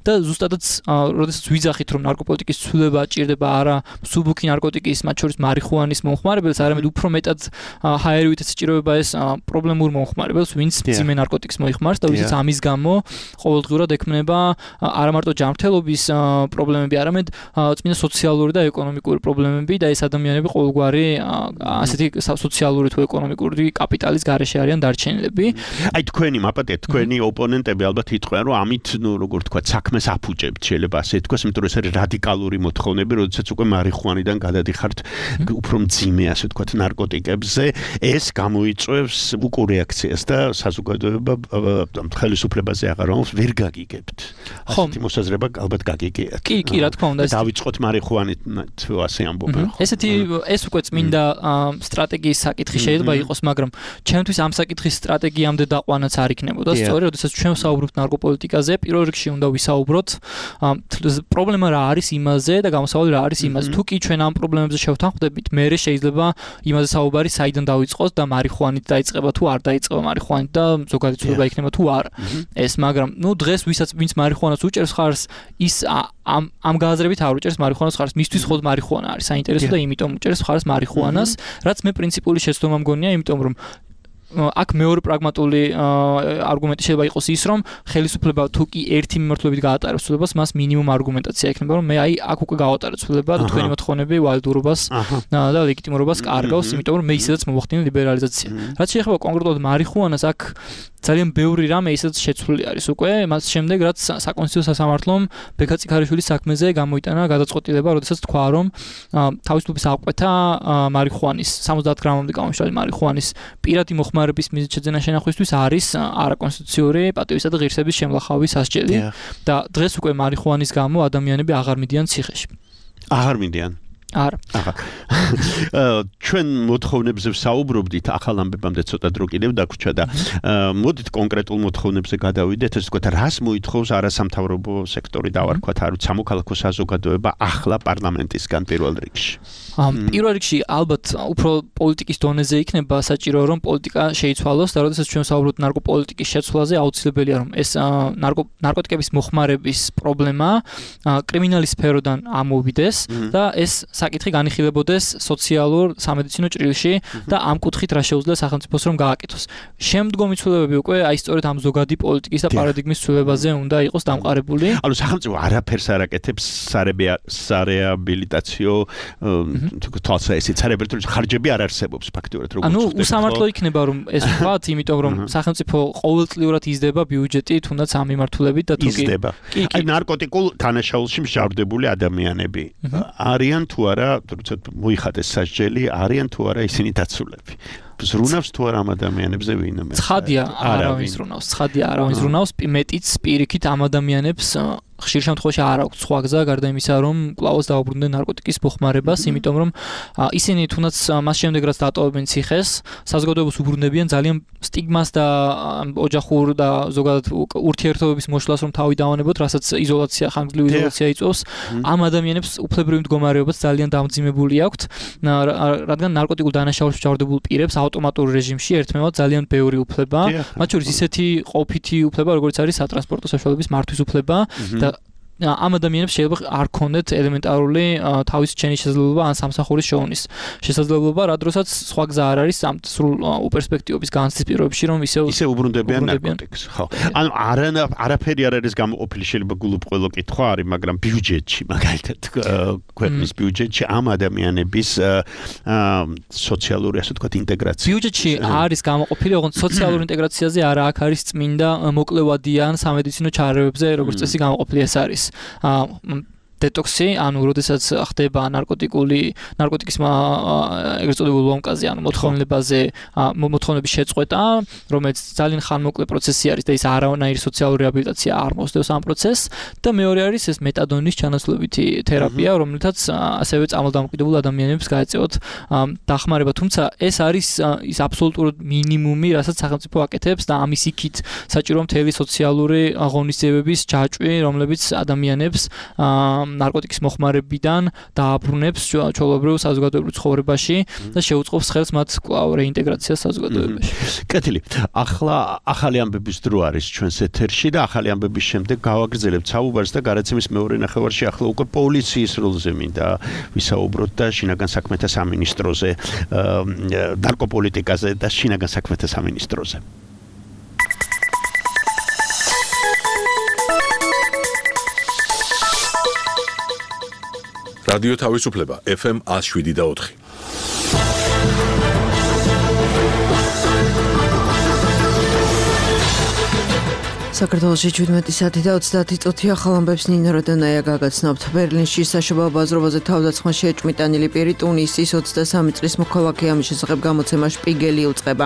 და ზუსტადაც როდესაც ვიძახით, რომ ნარკოპოლიტიკის ცვლილება ჭირდება არა მსუბუქი ნარკოტიკის, მათ შორის მარიხუანის მომხმარებელს, არამედ უფრო მეტად ჰაერივით ეჭირება ეს პრობლემურ მომხმარებელს, ვინც მძიმე ნარკოტიკს მოიხმარს და ვისაც ამის გამო ყოველდღურად ექმნება არა მარტო ჯანმრთელობის პრობლემები, არამედ წმინდა სოციალური და ეკონომიკური პრობლემები და ეს ადამიანები ყოველგვარი ასეთი სოციალური თუ ეკონომიკური კაპიტალის გარეშე არიან დარჩენილები. აი თქვენი მაპატე, თქვენი ოპონენტები ალბათ იტყვიან, რომ ამით ნუ როგორ თქვა, საქმეს აფუჭებთ, შეიძლება ასე თქვას, იმიტომ რომ ეს არის რადიკალური მოთხოვნები, როდესაც უკვე მარიხუანიდან გადადიხართ უფრო მძიმე, ასე თქვა, ნარკოტიკებზე, ეს გამოიწვევს უკუ რეაქციას და საზოგადოება ხელისუფლებაზე აღარვამს ვერ გაგიგებთ. ასეთი მოსაზრება ალბათ გაგიგიათ. კი, კი, რა თქმა უნდა. დავიწყოთ მარიხუანით თუ ასე ამბობენ. ესეთი ეს უკვე წმინდა სტრატეგიის საკითხი შეიძლება იყოს, მაგრამ ჩემთვის ამ საკითხის სტრატეგიამდე დაყვანაც არ იქნებოდა. სწორედ, როდესაც ჩვენ ვსაუბრობთ ნარკოპოლიტიკაზე, პირველ რიგში უნდა ვისაუბროთ პრობლემა რა არის იმაზე და გამოსავალი რა არის იმაზე. თუ კი ჩვენ ამ პრობლემებზე შევთანხმდებით, მერე შეიძლება იმაზე საუბარი საიდან დაიწყოს და მარიხუანით დაიწყება თუ არ დაიწყება მარიხუანით და ზოგადი ცვლილება იქნება თუ არა. ეს, მაგრამ ნუ დღეს ვისაც ვინც მარიხუანას უჭერს ხარს, ის ამ ამ გააზრებით არ უჭერს მარიხუანას ხარს. მისთვის მხოლოდ მარიხუანა არის საინტერესო და იმიტომ უჭერს ხარს მარიხუანას, რაც მე პრინციპული შეცდომა მგონია, იმიტომ რომ აქ მეორე პრაგმატული არგუმენტი შეიძლება იყოს ის, რომ ხელისუფლება თუ კი ერთი მიმართულებით გაატარებს ცვლილებას, მას მინიმუმ არგუმენტაცია ექნება, რომ მე აი აქ უკვე გავატარებ ცვლილება და თქვენი მოთხოვნები ვალიდურობას და ლეგიტიმურობას კარგავს, იმიტომ რომ მე ისედაც მოვახდინე ლიბერალიზაცია. რაც შეეხება კონკრეტულად მარიხუანას, აქ ძალიან ბევრი რამე ისედაც შეცვლილი არის უკვე, მას შემდეგ რაც საკონსტიტუციო სასამართლომ ბექა წიქარიშვილის საქმეზე გამოიტანა გადაწყვეტილება, როდესაც თქვა, რომ თავისუფლების აღკვეთა მარიხუანის სამოცდაათ გრამამდე გამომშრალი მარიხუანის პირადი მოხმარების მიზნით შეძენა შენახვისთვის არის არაკონსტიტუციური პატივისა და ღირსების შემლახავი სასჯელი და დღეს უკვე მარიხუანის გამო ადამიანები აღარ მიდიან ციხეში. აღარ მიდიან. არა. ახლა ჩვენ მოთხოვნებზე ვსაუბრობდით, ახალ ამბებამდე ცოტა დრო კიდევ დაგვრჩა და მოდით კონკრეტულ მოთხოვნებზე გადავიდეთ, ესე ვთქვათ, რას მოითხოვს არასამთავრობო სექტორი დავარქვათ, არ ვიცი, სამოქალაქო საზოგადოება ახლა პარლამენტისგან პირველ რიგში. პირველ რიგში ალბათ უფრო პოლიტიკის დონეზე იქნება საჭირო, რომ პოლიტიკა შეიცვალოს და როდესაც ჩვენ ვსაუბრობთ ნარკოპოლიტიკის შეცვლაზე, აუცილებელია რომ ეს ნარკოტიკების მოხმარების პრობლემა კრიმინალის სფეროდან ამოვიდეს და ეს საკითხი განიხილებოდეს სოციალურ სამედიცინო ჭრილში და ამ კუთხით რა შეუძლია სახელმწიფოს რომ გააკეთოს. შემდგომი ცვლილებები უკვე აი სწორედ ამ ზოგადი პოლიტიკის და პარადიგმის ცვლილებაზე უნდა იყოს დამყარებული. ანუ სახელმწიფო არაფერს არ აკეთებს სარეაბილიტაციო თვალსაჩინო სარეაბილიტაციო ხარჯები არ არსებობს ფაქტიურად როგორც ანუ უსამართლო იქნება რომ ეს ვთქვათ, იმიტომ რომ სახელმწიფო ყოველწლიურად იზრდება ბიუჯეტი თუნდაც ამ მიმართულებით და თუ კი იზრდება. აი ნარკოტიკულ თანაშაულში მსჯავრდებული ადამიანები არიან თუ არა, თორემ მოიხადეს სასჯელი, არიან თუ არა ისინი დაცულები. ზრუნავს თუ არა ამ ადამიანებზე ვინმე? ცხადია, არავინ ზრუნავს, ცხადია, არავინ ზრუნავს, მეტიც პირიქით ამ ადამიანებს ხშირ შემთხვევაში არ აქვს სხვა გზა გარდა იმისა, რომ კვლავაც დაუბრუნდნენ ნარკოტიკის მოხმარებას, იმიტომ რომ ისინი თუნდაც მას შემდეგ რაც დატოვებენ ციხეს, საზოგადოებას უბრუნდებიან ძალიან სტიგმას და ოჯახურ და ზოგადად ურთიერთობების მოშლას რომ თავი დავანებოთ, რასაც იზოლაცია, ხანგრძლივი იზოლაცია იწვევს, ამ ადამიანებს უფლებრივი მდგომარეობაც ძალიან დამძიმებული აქვთ, რადგან ნარკოტიკულ დანაშაულში მსჯავრდებულ პირებს ავტომატურ რეჟიმში ერთმევად ძალიან ბევრი უფლება, მათ შორის ისეთი ყოფითი უფლება, როგორც არის სატრანსპორტო საშუალების მართვის უფლება და ამ ადამიანებს შეიძლება არ ქონდეთ ელემენტარული თავის ჩენის შესაძლებლობა ან სამსახურის შოვნის შესაძლებლობა, რა დროსაც სხვა გზა არ არის ამ სრულ უპერსპექტივების განცდის პირობებში, რომ ისე ისე უბრუნდებიან ნარკოტიკს. ხო. ანუ არაფერი არ არის გამოყოფილი, შეიძლება გულუბრყვილო კითხვა არის, მაგრამ ბიუჯეტში, მაგალითად, ქვეყნის ბიუჯეტში ამ ადამიანების სოციალური, ასე ვთქვათ, ინტეგრაცია. ბიუჯეტში არის გამოყოფილი, ოღონდ სოციალურ ინტეგრაციაზე არა, აქ არის წმინდა მოკლევადიან სამედიცინო ჩარეობებზე, როგორც წესი გამოყოფილი ეს არის. დეტოქსი, ანუ როდესაც ხდება ნარკოტიკული ნარკოტიკის ეგრეთ წოდებულ ლომკაზე, ანუ მოთხოვნებაზე, მოთხოვნების შეწყვეტა, რომელიც ძალიან ხანმოკლე პროცესი არის და ის არანაირი სოციალური რეაბილიტაცია არ მოსდევს ამ პროცესს და მეორე არის ეს მეტადონის ჩანაცვლებითი თერაპია, რომლითაც ასევე წამალდამოკიდებულ ადამიანებს გაეწევათ დახმარება, თუმცა ეს არის ის აბსოლუტურად მინიმუმი, რასაც სახელმწიფო აკეთებს და ამის იქით საჭირო მთელი სოციალური ღონისძიებების ჯაჭვი, რომლებიც ადამიანებს ნარკოტიკის მოხმარებიდან დააბრუნებს ჩვეულებრივ საზოგადოებრივ ცხოვრებაში და შეუწყობს ხელს მათ კვლავ რეინტეგრაციას საზოგადოებაში. კეთილი. ახლა ახალი ამბების დრო არის ჩვენს ეთერში და ახალი ამბების შემდეგ გავაგრძელებთ საუბარს და გარაცემის მეორე ნახევარში ახლა უკვე პოლიციის როლზე მინდა ვისაუბროთ და შინაგან საქმეთა სამინისტროზე, ნარკოპოლიტიკაზე და შინაგან საქმეთა სამინისტროზე. რადიო თავისუფლება ეფ ემ one oh seven და four. საქართველოში შვიდმეტი საათი და ოცდაათი წუთი ახალ ამბებს ნინო როდონაია გაგაცნობთ. ბერლინში საშობაო ბაზრობაზე თავდასხმაში ეჭვმიტანილი პირი ტუნისის ოცდასამი წლის მოქალაქე ამის შესახებ გამოცემა შპიგელი უწყება.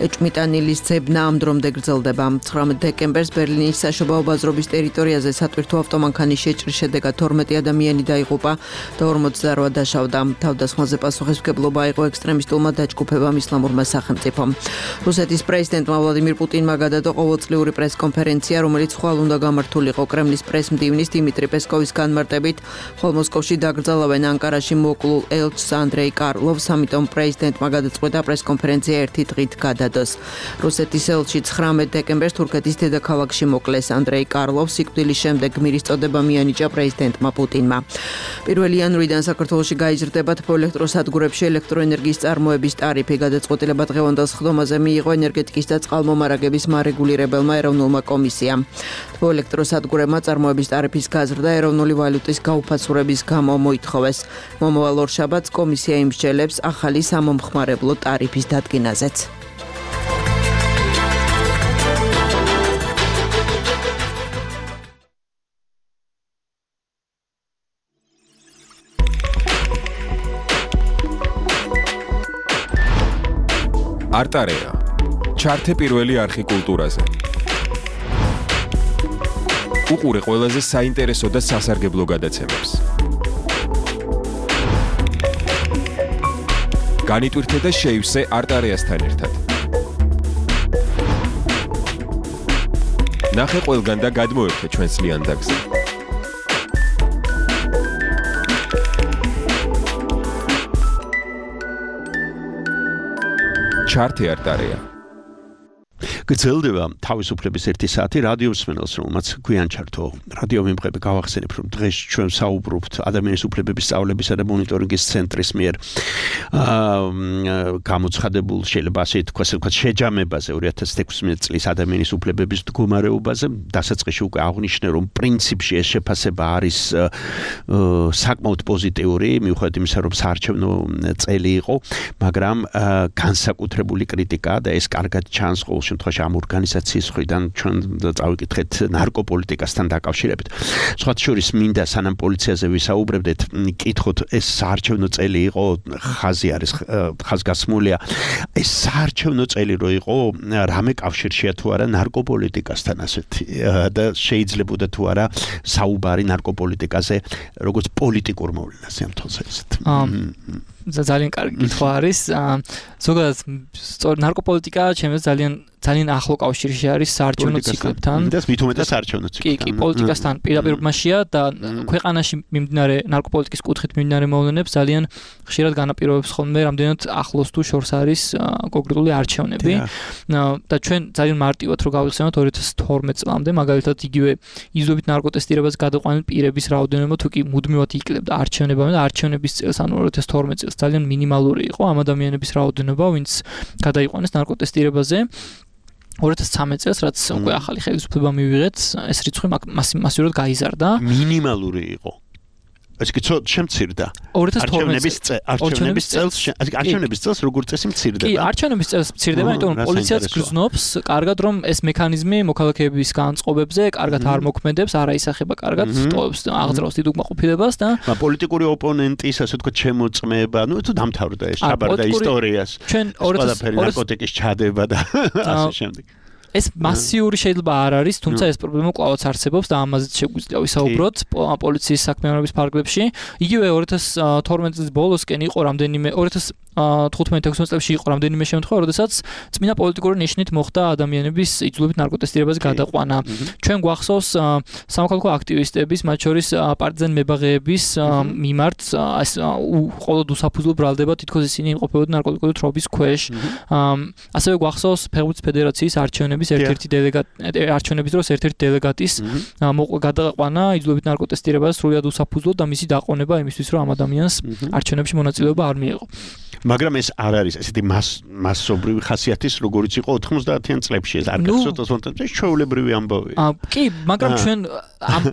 ეჭვმიტანილის ძებნა ამ დრომდე გრძელდება. ცხრამეტ დეკემბერს ბერლინის საშობაო ბაზრობის ტერიტორიაზე სატვირთო ავტომანქანის შეჭრის შედეგად თორმეტი ადამიანი დაიღუპა და ორმოცდაორი დაშავდა. თავდასხმაზე პასუხისმგებლობა აიღო ექსტრემისტულმა დაჯგუფებამ ისლამურმა სახელმწიფომ. რუსეთის პრეზიდენტმა ვლადიმირ პუტინმა გადადო ყოველწლიური პრესკონფერენცია, რომელიც ხვალ უნდა გამართულიყო კრემლის პრესმდივნის დიმიტრი პესკოვის განმარტებით, ხოლო მოსკოვში დაკრძალავენ ანკარაში მოკლულ ელჩს ანდრეი კარლოვს, ამიტომ პრეზიდენტმა გადაწყვეტა პრესკონფერენცია ერთი დღით გადადოს. რუსეთის ელჩი ცხრამეტ დეკემბერს თურქეთის დედაქალაქში მოკლეს. ანდრეი კარლოვს სიკვდილის შემდეგ გმირის წოდება მიანიჭა პრეზიდენტმა პუტინმა. პირველი იანვრიდან საქართველოში გაიზრდება თბოელექტროსადგურებში ელექტროენერგიის წარმოების ტარიფი. გადაწყვეტილება დღევანდელ სხდომაზე მიიღო ენერგეტიკის და წყალმომარაგების მარეგულირებელმა ეროვნულმა კომისიამ. თბოელექტროსადგურებმა წარმოების ტარიფის გაზრდა ეროვნული ვალუტის გაუფაცურების გამო მოითხოვეს. მომავალ ორშაბათს კომისია იმსჯელებს ახალი სამომხმარებლო ტარიფის დადგენაზეც. არტარეა. ჩართე პირველი არხი კულტურაზე. უყურე ყველაზე საინტერესო და სასარგებლო გადაცემებს. განიტვირთე და შეივსე არტარეასთან ერთად. ნახე ყველგან და გადმოერთე ჩვენს ლიანდაგზე. ჩართე არტარეა. გრძელდება თავისუფლების ერთი საათი რადიო მსმენელს, რომელმაც გვიან ჩართო რადიო მიმღები გავახსენებ, რომ დღეს ჩვენ საუბრობთ ადამიანის უფლებების სწავლებისა და მონიტორინგის ცენტრის მიერ გამოცხადებულ, შეიძლება ასე თქვას, შეჯამებაზე ორი ათას თექვსმეტ წლის ადამიანის უფლებების მდგომარეობაზე. დასაწყისში უკვე აღნიშნე, რომ პრინციპში ეს შეფასება არის საკმაოდ პოზიტიური, მიუხედავად იმისა, რომ საარჩევნო წელი იყო, მაგრამ განსაკუთრებული კრიტიკა და ეს კარგად ჩანს ყოველ შემთხვევაში ამ ორგანიზაციის მხრიდან ჩვენ წავიკითხეთ ნარკოპოლიტიკასთან დაკავშირებით. სხვათა შორის მინდა სანამ პოლიციაზე ვისაუბრებდეთ, კითხოთ ეს საარჩევნო წელი იყო, ხაზი არის ხაზგასმულია. ეს საარჩევნო წელი რო იყო, რამე კავშირშია თუ არა ნარკოპოლიტიკასთან ასეთი და შეიძლებოდა თუ არა საუბარი ნარკოპოლიტიკაზე როგორც პოლიტიკურ მოვლენაზე ამ თვალსა ისეთ. ძალიან კარგი კითხვა არის. ზოგადად ნარკოპოლიტიკა ჩემს ძალიან ძალიან ახლო კავშირში არის საარჩევნო ციკლებთან. და მით უმეტეს საარჩევნო ციკლთან. კი, კი, პოლიტიკასთან პირდაპირობაშია და ქვეყანაში მიმდინარე ნარკოპოლიტიკის კუთხით მიმდინარე მოვლენებს ძალიან ხშირად განაპირობებს ხოლმე რამდენად ახლოს თუ შორს არის კონკრეტული არჩევნები. და ჩვენ ძალიან მარტივად რო გავიხსენოთ ორი ათას თორმეტ წლამდე, მაგალითად იგივე იზრდობით ნარკოტესტირებას გადაყვანილ პირების რაოდენობა თუ კი მუდმივად იკლებდა არჩევნებამდე და არჩევნების წელს, ანუ ორი ათას თორმეტ წელს ძალიან მინიმალური იყო ამ ადამიანების რაოდენობა, ვინც გადაიყვანეს ნარკოტესტირებაზე. ორი ათას ცხრამეტ წელს, რაც უკვე ახალი ხელისუფლება მივიღეთ, ეს რიცხვი მასიურად გაიზარდა. მინიმალური იყო. ეს კი ცოტა შემცირდა. ორი ათას თორმეტ არჩევნების წელს, არჩევნების წელს როგორ წესი მცირდება. კი, არჩევნების წელს მცირდება, იმიტომ რომ პოლიციაც გრძნობს კარგად, რომ ეს მექანიზმი მოქალაქეების განწყობებზე კარგად არ მოქმედებს, არ აისახება კარგად, ტოვებს აღძრავს დიდ უკმაყოფილებას და პოლიტიკური ოპონენტის, ასე ვთქვათ, შემოწმება, ნუ თუ დამთავრდა ეს ჩაბარდა ისტორიას. ჩვენ ორი ათას ნარკოტიკის ჩადება და ასე შემდეგ. ეს მასიური შეიძლება არ არის, თუმცა ეს პრობლემა კვლავაც არსებობს და ამაზეც შეგვიძლია ვისაუბროთ პოლიციის საქმიანობის ფარგლებში. იგივე ორი ათას თორმეტ წლის ბოლოსკენ იყო რამდენიმე ორი ათას თხუთმეტ ათექვსმეტ წლებში იყო რამდენიმე შემთხვევა, როდესაც წმინდა პოლიტიკური ნიშნით მოხდა ადამიანების იძულებით ნარკოტესტირებაზე გადაყვანა. ჩვენ გვახსოვს სამოქალაქო აქტივისტების, მათ შორის პარტიზან მებაღეების მიმართ ყოველდღიურად უსაფუძვლო ბრალდება, თითქოს ისინი იმყოფებოდნენ ნარკოტიკული თრობის ქვეშ. ასევე გვახსოვს ფეხბურთის ფედერაციის არჩევნების ერთ-ერთი დელეგატი არჩევნების დროს ერთ-ერთი დელეგატის გადაყვანა იძულებით ნარკოტესტირებაზე სრულად უსაფუძვლოდ და მისი დაყონება იმისთვის, რომ ამ ადამიანს არჩევნებში მონაწილეობა არ მიეღო. მაგრამ ეს არ არის ესეთი მასობრივი ხასიათის, როგორიც იყო ოთხმოცდაათიან წლებში, ეს არ გახსოვთ ოცდაათი წლებში ჩვეულებრივი ამბავი. კი, მაგრამ ჩვენ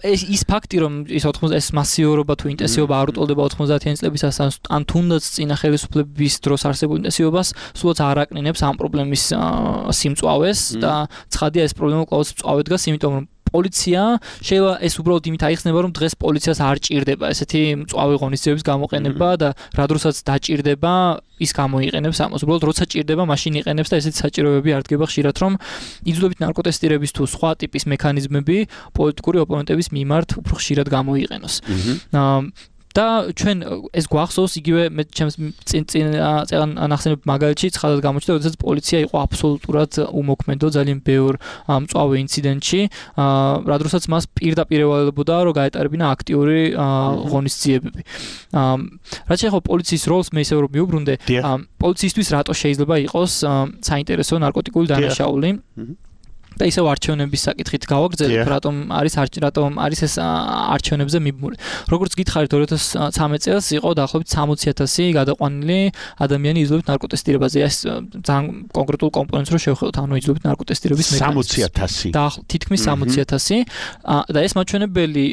ის ფაქტი, რომ ის ოთხმოცდა ეს მასიურობა თუ ინტენსივობა არ უტოლდება ოთხმოცდაათიან წლებისას ან თუნდაც წინა ხელისუფლების დროს არსებულ ინტენსივობას, სულაც არ აკნინებს ამ პრობლემის სიმწვავეს და ცხადია ეს პრობლემა კვლავ მწვავე დგას, იმიტომ რომ პოლიცია შეიძლება ეს უბრალოდ იმით აიხსნება, რომ დღეს პოლიციას არ ჭირდება ესეთი მწვავე ღონისძიებების გამოყენება და რა დროსაც დაჭირდება, ის გამოიყენებს ამას. უბრალოდ როცა ჭირდება, მაშინ იყენებს და ესეთი საჭიროებები არ დგება ხშირად, რომ იძულებით ნარკოტესტირების თუ სხვა ტიპის მექანიზმები პოლიტიკური ოპონენტების მიმართ უფრო ხშირად გამოიყენოს. და ჩვენ ეს გვახსოვს იგივე მე ჩემს წინ წინ წეგან ნახსენებ მაგალითში ცხადად გამოჩნდა, როდესაც პოლიცია იყო აბსოლუტურად უმოქმედო ძალიან ბევრ მწვავე ინციდენტში, რა დროსაც მას პირდაპირ ევალებოდა, რომ გაეტარებინა აქტიური ღონისძიებები. რაც შეეხება პოლიციის როლს, მე ისევ რომ მიუბრუნდე, პოლიციისთვის რატო შეიძლება იყოს საინტერესო ნარკოტიკული დანაშაული? და ისევ არჩევნების საკითხით გავაგრძელებ, რატომ არის რატომ არის ეს არჩევნებზე მიბმული. როგორც გითხარით, ორი ათას ცხრამეტ წელს იყო დაახლოებით სამოცი ათასი გადაყვანილი ადამიანი იძულებით ნარკოტესტირებაზე. ეს ძალიან კონკრეტულ კომპონენტს რო შევხედოთ, ანუ იძულებით ნარკოტესტირების მექანიზმი. სამოცი ათასი. და თითქმის სამოცი ათასი და ეს მაჩვენებელი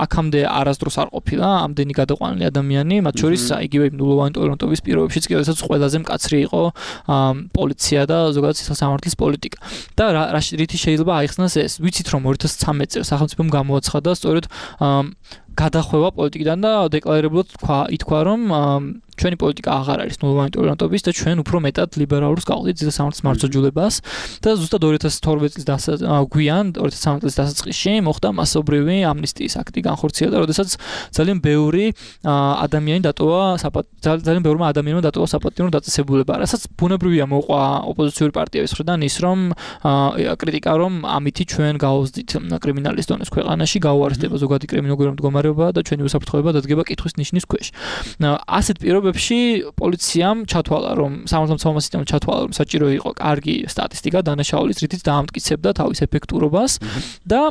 აქამდე არასდროს არ ყოფილა ამდენი გადაყვანილი ადამიანი, მათ შორის იგივე ნულოვანი ტოლერანტობის პირობებშიც კი, როდესაც ყველაზე მკაცრი იყო პოლიცია და ზოგადად სისხლსამართლის პოლიტიკა. და რა შეიძლება აიხსნას ეს. ვიცით რომ ორი ათას ცხრამეტ წელს სახელმწიფომ გამოაცხადა სწორედ გადახვევა პოლიტიკიდან და დეკლარირებულად თქვა, ითქვა რომ ჩვენი პოლიტიკა აღარ არის ნულოვანი ტოლერანტობის და ჩვენ უფრო მეტად ლიბერალურს გავყიდით სისხლსამართლის მარცხოჯულებას და ზუსტად ორი ათას თორმეტ წლის გვიან ორი ათას ცხრამეტ წლის დასაწყისში მოხდა მასობრივი ამნისტიის აქტი განხორციელდა, როდესაც ძალიან ბევრი ადამიანი დატოვა ძალიან ბევრმა ადამიანმა დატოვა საპატიო დაწესებულება, რასაც ბუნებრივია მოყვა ოპოზიციური პარტიების მხრიდან ის რომ კრიტიკა რომ ამითი ჩვენ გავუზდით კრიმინალის დონეს ქვეყანაში, გაუარესდება ზოგადი კრიმინალური მდგომარეობა და ჩვენი უსაფრთხოება დადგება კითხვის ნიშნის ქვეშ. ასეთ პირობებში პოლიციამ ჩათვალა რომ სამართალმცავმა სისტემამ ჩათვალა რომ საჭირო იყო კარგი სტატისტიკა დანაშაულის, რითიც დაამტკიცებდა თავის ეფექტურობას და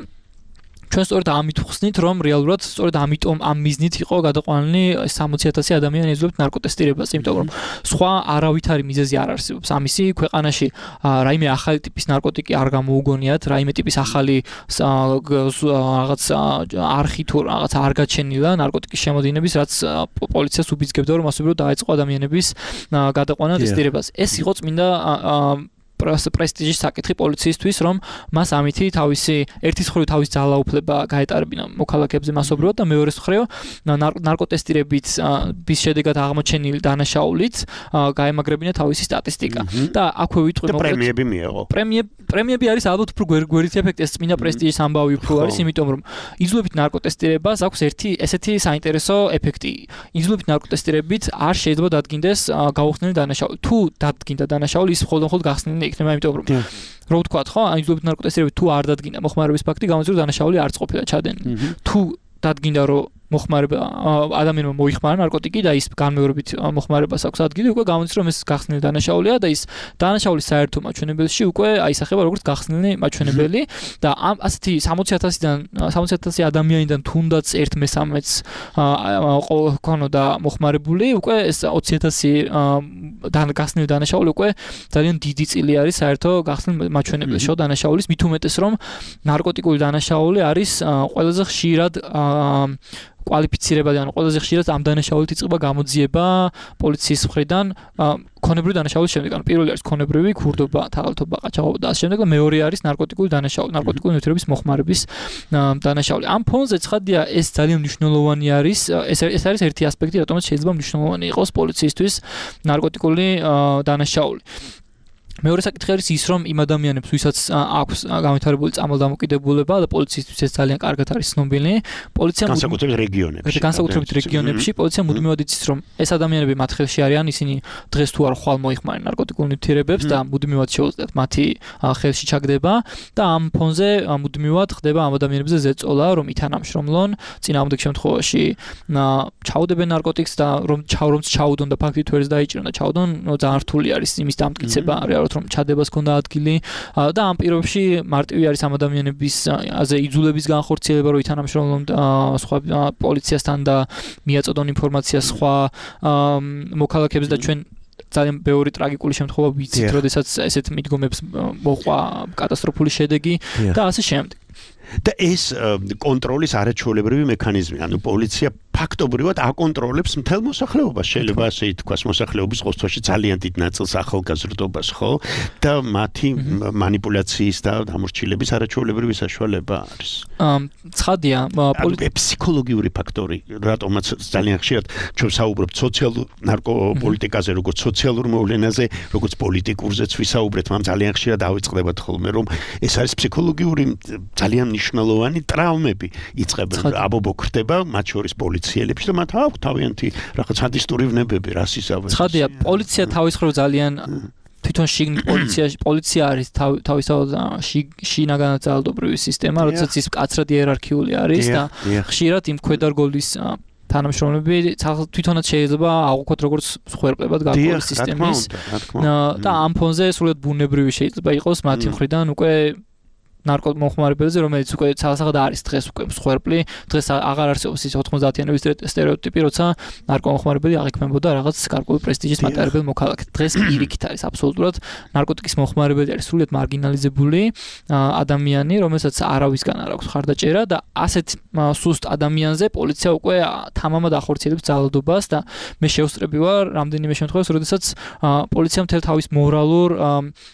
ჩვენ სწორედ ამით ვხსნით, რომ რეალურად სწორედ ამიტომ ამ მიზნით იყო გადაყვანილი სამოცი ათასი ადამიანი იძულებით ნარკოტესტირებაზე, იმიტომ რომ სხვა არავითარი მიზეზი არ არსებობს. ამისი ქვეყანაში რაიმე ახალი ტიპის ნარკოტიკი არ გამოუგონიათ, რაიმე ტიპის ახალი რაღაც არხი თუ რაღაც არ გაჩენილა ნარკოტიკის შემოდინების, რაც პოლიციას უბიძგებდა რომ ასობრივად დაეწყო ადამიანების გადაყვანა ტესტირებას. ეს იყო წმინდა პრესტიჟის საკითხი პოლიციისთვის, რომ მას ამითი თავისი ერთის მხრივ თავის ძალაუფლება გაეტარებინა მოქალაქეებზე მასობრივად და მეორეს მხრივ ნარკოტესტირებით bis შედეგად აღმოჩენილი დანაშაულით გაემაგრებინა თავისი სტატისტიკა. და აქვე ვიტყვი მოკლედ პრემიები მიეღო. პრემიები არის ალბათ უფრო გვერდით ეფექტი, ეს წმინდა პრესტიჟის ამბავი უფრო არის, იმიტომ რომ იძულებით ნარკოტესტირებას აქვს ერთი ესეთი საინტერესო ეფექტი. იძულებით ნარკოტესტირებით არ შეიძლება დადგინდეს გაუხსნელი დანაშაული. თუ დადგინდა დანაშაული, ის მხოლოდ მხოლოდ გახსნილი იქნება, იმიტომ რომ რო ვთქვათ, ხო, ან იძულებით ნარკოტესტირებით თუ არ დადგინდა მოხმარების ფაქტი, გამოიწვია დანაშაული არც ყოფილა ჩადენილი. თუ დადგინდა რომ მოხმარება ადამიანმა მოიხმარა ნარკოტიკი და ის განმეორებით მოხმარებას აქვს ადგილი, უკვე გამოიწვია რომ ეს გახსნილი დანაშაულია და ის დანაშაულის საერთო მაჩვენებელში უკვე აისახება როგორც გახსნილი მაჩვენებელი და ამ ასეთი სამოცი ათასიდან სამოცი ათასი ადამიანიდან თუნდაც ერთ მესამეც ქონოდა მოხმარებული, უკვე ეს ოცი ათასი გახსნილი დანაშაული უკვე ძალიან დიდი წილი არის საერთო გახსნილი მაჩვენებელში დანაშაულის, მით უმეტეს რომ ნარკოტიკული დანაშაული არის ყველაზე ხშირად კვალიფიცირებადი, ანუ ყველაზე ხშირად ამ დანაშაულით იწყება გამოძიება პოლიციის მხრიდან ქონებრივი დანაშაულის შემდეგ. ანუ პირველი არის ქონებრივი ქურდობა, თაღალთობა, ყაჩაღობა და ამ შემდეგ და მეორე არის ნარკოტიკული დანაშაული, ნარკოტიკული ნივთიერების მოხმარების დანაშაული. ამ ფონზე ცხადია ეს ძალიან მნიშვნელოვანი არის, ეს ეს არის ერთი ასპექტი, რატომაც შეიძლება მნიშვნელოვანი იყოს პოლიციისთვის ნარკოტიკული დანაშაული. მეორე საკითხი არის ის, რომ იმ ადამიანებს, ვისაც აქვს განვითარებული წამალდამოკიდებულება და პოლიციისთვის ეს ძალიან კარგად არის ცნობილი, პოლიცია განსაკუთრებით რეგიონებში. განსაკუთრებით რეგიონებში პოლიცია მუდმივად იცის, რომ ეს ადამიანები მათ ხელში არიან, ისინი დღეს თუ არ ხვალ მოიხმარენ ნარკოტიკულ ნივთიერებებს და მუდმივად შეუძლიათ მათი ხელში ჩაგდება და ამ ფონზე მუდმივად ხდება ამ ადამიანებზე ზეწოლა, რომ ითანამშრომლონ, წინააღმდეგ შემთხვევაში ჩაუდებენ ნარკოტიკს და რომ ჩავრომც ჩაუდონ და ფაქტით ვერც დაიჭრან და ჩაუდონ, ძალიან რთული არის იმის დამტკიცება, რეალურად რომ ჩადებას ქონდა ადგილი და ამ პირობებში მარტივი არის ამ ადამიანების აზე იძულების განხორციელება, რომ ითანამშრომლონ სხვა პოლიციასთან და მიაწოდონ ინფორმაციას სხვა მოქალაქეებს და ჩვენ ძალიან ბევრი ტრაგიკული შემთხვევა ვიცით, როდესაც ესეთ მიდგომებს მოყვა კატასტროფული შედეგი და ასე შემდეგ. და ეს კონტროლის არაჩვეულებრივი მექანიზმი, ანუ პოლიცია ფაქტობრივად აკონტროლებს მთელ მოსახლეობას, შეიძლება ასე ითქვას, მოსახლეობის ყოველთვის ძალიან დიდ ნაწილს ახალგაზრდობას, ხო? და მათი манипуляციის და დამორჩილების არაჩვეულებრივი საშუალება არის. ცხადია, ფსიქოლოგიური ფაქტორი, რატომაც ძალიან ხშირად ჩვენ საუბრობთ სოციალურ ნარკოპოლიტიკაზე, როგორც სოციალურ მოვლენაზე, როგორც პოლიტიკურზეც ვისაუბრეთ, მაგრამ ძალიან ხშირად დავიწყდებათ ხოლმე, რომ ეს არის ფსიქოლოგიური ძალიან მნიშვნელოვანი ტრაუმები იწყებენ, აბობო ხდება, მათ შორის პოლიციელებში და მათ აქვს თავიანთი რაღაც სადისტური ვნებები, რასისავე. ცხადია, პოლიცია თავის მხრივ ძალიან თვითონ შიგნით პოლიცია პოლიცია არის თავისთავად შინაგანად ძალადობრივი სისტემა, როდესაც ის მკაცრად იერარქიული არის და ხშირად იმ ქვედარგოლის თანამშრომლები თვითონაც შეიძლება აღვქვათ როგორც სხვერპლებად გარკვეული სისტემის და ამ ფონზე სულად ბუნებრივი შეიძლება იყოს მათი მხრიდან უკვე ნარკომოხმარებელზე, რომელიც უკვე ცალსაღად არის დღეს უკვე მსხვერპლი, დღეს აღარ არსებობს ის ოთხმოცდაათიანების სტერეოტიპი, როცა ნარკომოხმარებელი აღიქმებოდა რაღაც გარკვეული პრესტიჟის მატარებელ მოქალაქედ. დღეს პირიქით არის აბსოლუტურად ნარკოტიკის მოხმარებელი არის სრულიად მარგინალიზებული ადამიანი, რომელსაც არავისგან არ აქვს ხარდაჭერა და ასეთ სუსტ ადამიანზე პოლიცია უკვე თამამად ახორციელებს ძალადობას და მე შევსწრები ვარ რამდენიმე შემთხვევაში, როდესაც პოლიცია მთელ თავის მორალურ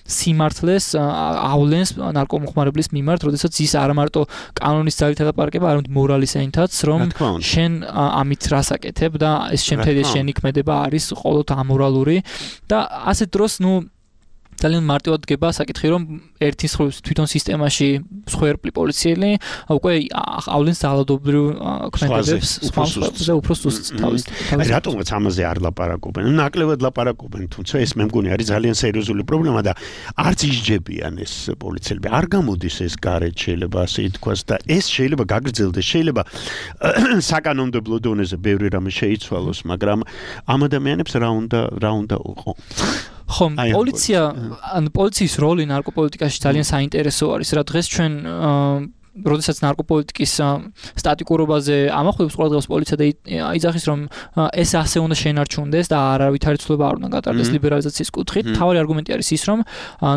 სიმართლეს ავლენს ნარკომოხმარებელს მიმართ, როდესაც ის არ მარტო კანონის ძალით ელაპარაკება, არამედ მორალის ენითაც, რომ შენ ამით რას აკეთებ და ეს შემთხვევაში შენი ქმედება არის ყოველთ ამორალური და ასეთ დროს ნუ ძალიან მარტივად დგება საკითხი, რომ ერთის მხრივ თვითონ სისტემაში მსხვერპლი პოლიციელი უკვე ავლენს ძალადობრივ ქმედებებს, სხვა უფრო სუსტ თავის. რატომაც ამაზე არ ლაპარაკობენ? ნაკლებად ლაპარაკობენ, თუმცა ეს მე მგონი არის ძალიან სერიოზული პრობლემა და არც ისჯებიან ეს პოლიციელები. არ გამოდის ეს გარეთ შეიძლება ასე ითქვას და ეს შეიძლება გაგრძელდეს, შეიძლება საკანონმდებლო დონეზე ბევრი რამე შეიცვალოს, მაგრამ ამ ადამიანებს რა უნდა რა უნდა უყო? ხომ, პოლიცია, ანუ პოლიციის როლი ნარკოპოლიტიკაში ძალიან საინტერესო არის, რა დღეს ჩვენ როდესაც ნარკოპოლიტიკის სტატიკურობაზე ამახვილებს ყურადღებას პოლიცია და იძახის, რომ ეს ასე უნდა შენარჩუნდეს და არავითარი ცვლილება არ უნდა გატარდეს ლიბერალიზაციის კუთხით. თავი არგუმენტი არის ის, რომ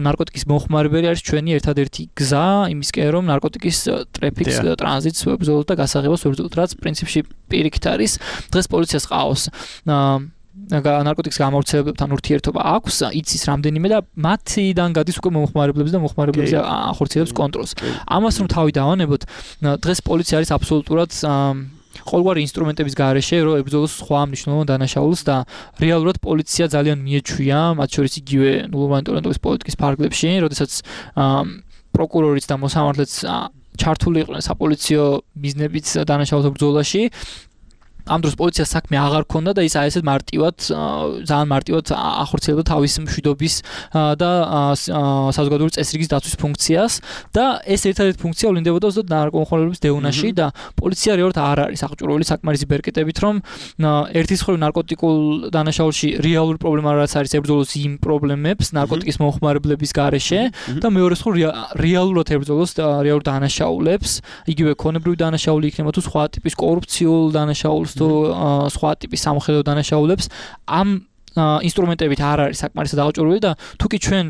ნარკოტიკის მოხმარებელი არის ჩვენი ერთადერთი გზა იმისკენ, რომ ნარკოტიკის ტრაფიკს, ტრანზიტს ვებრძოლოთ და გასაღებოს ვებრძოლოთ, რაც პრინციპში პირიქით არის. დღეს პოლიციას ყავს ნარკოტიკის გამავრცელებლებთან ურთიერთობა აქვს, იცის რამდენიმე და მათიდან გადის უკვე მომხმარებლებს და მომხმარებლებზე ახორციელებს კონტროლს. ამას რომ თავი დავანებოთ, დღეს პოლიცია არის აბსოლუტურად ყოველგვარი ინსტრუმენტების გარეშე, რომ ებრძოლოს სხვა მნიშვნელოვან დანაშაულს და რეალურად პოლიცია ძალიან მიეჩვია, მათ შორის იგივე ნულოვანი ტოლერანტობის პოლიტიკის ფარგლებში, როდესაც პროკურორიც და მოსამართლეც ჩართული იყვნენ საპოლიციო მიზნებით დანაშაულთა ბრძოლაში. ამ დროს პოლიციას საქმე აღარ ქონდა და ის აი ესეთ მარტივად ძალიან მარტივად ახორციელებდა თავის მშვიდობის და საზოგადოებრივი წესრიგის დაცვის ფუნქციას და ეს ერთადერთი ფუნქცია ვლინდებოდა ზუსტად ნარკომოხმარებლების დევნაში და პოლიცია რეალურად არ არის აღჭურვილი საკმარისი ბერკეტებით, რომ ერთის მხრივ ნარკოტიკულ დანაშაულში რეალური პრობლემა რაც არის ებრძოლოს იმ პრობლემებს ნარკოტიკის მომხმარებლების გარეშე და მეორეს მხრივ რეალურად ებრძოლოს რეალურ დანაშაულებს, იგივე ქონებრივი დანაშაული იქნება თუ სხვა ტიპის კორუფციულ დანაშაულს თუ სხვა ტიპის სამხედრო დანაშაულებს ამ ინსტრუმენტებით არ არის საკმარისად აღჭურვილი და თუკი ჩვენ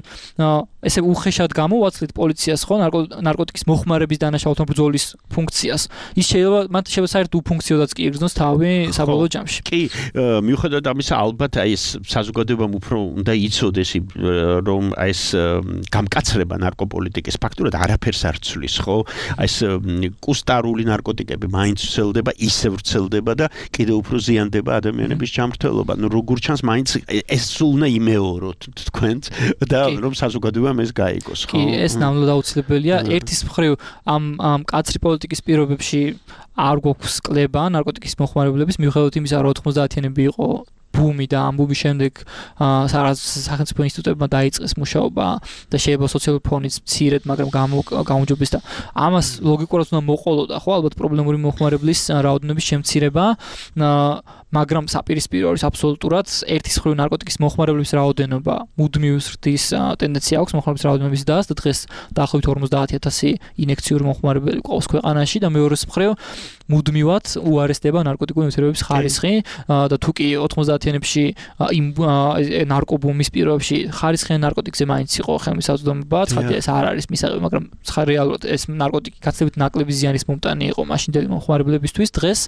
ესე უხეშად გამოვაცლით პოლიციას ხო ნარკოტიკის მოხმარების დანაშაულთან ბრძოლის ფუნქციას, ის შეიძლება მათ შეიძლება საერთოდ უფუნქციოდაც კი იგრძნოს თავი საბოლოო ჯამში. კი, მიუხედავად ამისა, ალბათ აი ეს საზოგადოებამ უფრო უნდა იცოდეს, რომ აი ეს გამკაცრება ნარკოპოლიტიკის ფაქტურად არაფერს არ ცვლის, ხო? აი ეს კუსტარული ნარკოტიკები მაინც ვრცელდება, ისე ვრცელდება და კიდევ უფრო ზიანდება ადამიანების ჯანმრთელობა. ნუ როგორ ჩანს, მაინც ეს სულ უნდა იმეოროთ თქვენც და რომ საზოგადოებამ ეს გაიგოს, ხო? კი, ეს ნამდვილად აუცილებელია. ერთის მხრივ ამ ამ კაცრი პოლიტიკის პირობებში არ გვაქვს კლება ნარკოტიკის მოხმარებლების, მიუხედავად იმისა, რომ ოთხმოცდაათიანები იყო ბუმი და ამ ბუმის შემდეგ სახელმწიფო ინსტიტუტებმა დაიწყეს მუშაობა და შეიძლება სოციალური ფონიც მცირედ, მაგრამ გამოუჯობეს და ამას ლოგიკურად უნდა მოყოლოდა, ხო, ალბათ პრობლემური მოხმარებლის რაოდენობის შემცირება, მაგრამ საპირისპირო არის აბსოლუტურად ერთის მხრივ ნარკოტიკის მოხმარებლების რაოდენობა მუდმივ ზრდის ტენდენცია აქვს მოხმარებლების რაოდენობის დას და დღეს დაახლოებით ორმოცდაათი ათასი ინექციური მოხმარებელი ყავს ქვეყანაში და მეორეს მხრივ მუდმივად უარესდება ნარკოტიკული ნივთიერებების ხარისხი და თუ კი ოთხმოცდაათიანებში იმ ნარკობუმის პირობებში ხარისხიან ნარკოტიკზე მაინც იყო ხელმისაწვდომობა, ცხადია ეს არ არის მისაღები, მაგრამ რეალურად ეს ნარკოტიკი გაცილებით ნაკლები ზიანის მომტანი იყო მაშინდელი მოხმარებლებისთვის. დღეს,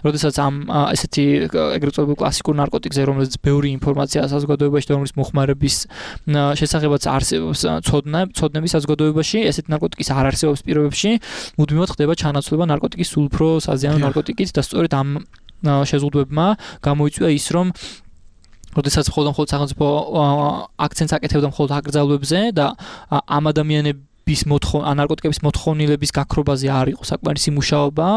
როდესაც ამ ესეთი ეგრეთ წოდებულ კლასიკურ ნარკოტიკზე, რომელიც ბევრი ინფორმაცია საზოგადოებაში და რომლის მოხმარების შესახებაც არსებობს ცოდნა, ცოდნების საზოგადოებაში, ესეთი ნარკოტიკის არ არსებობს პირობებში, მუდმივად ხდება ჩანაცვლება ნარკოტიკის სულ უფრო საზიანო ნარკოტიკით და სწორედ ამ შეზღუდვებმა გამოიწვია ის, რომ როდესაც მხოლოდ მხოლოდ სახელმწიფო აქცენტს აკეთებდა მხოლოდ აკრძალვებზე და ამ ადამიანების მოთხოვნა ნარკოტიკების მოთხოვნილების გაქრობაზე არ იყო საკმარისი მუშაობა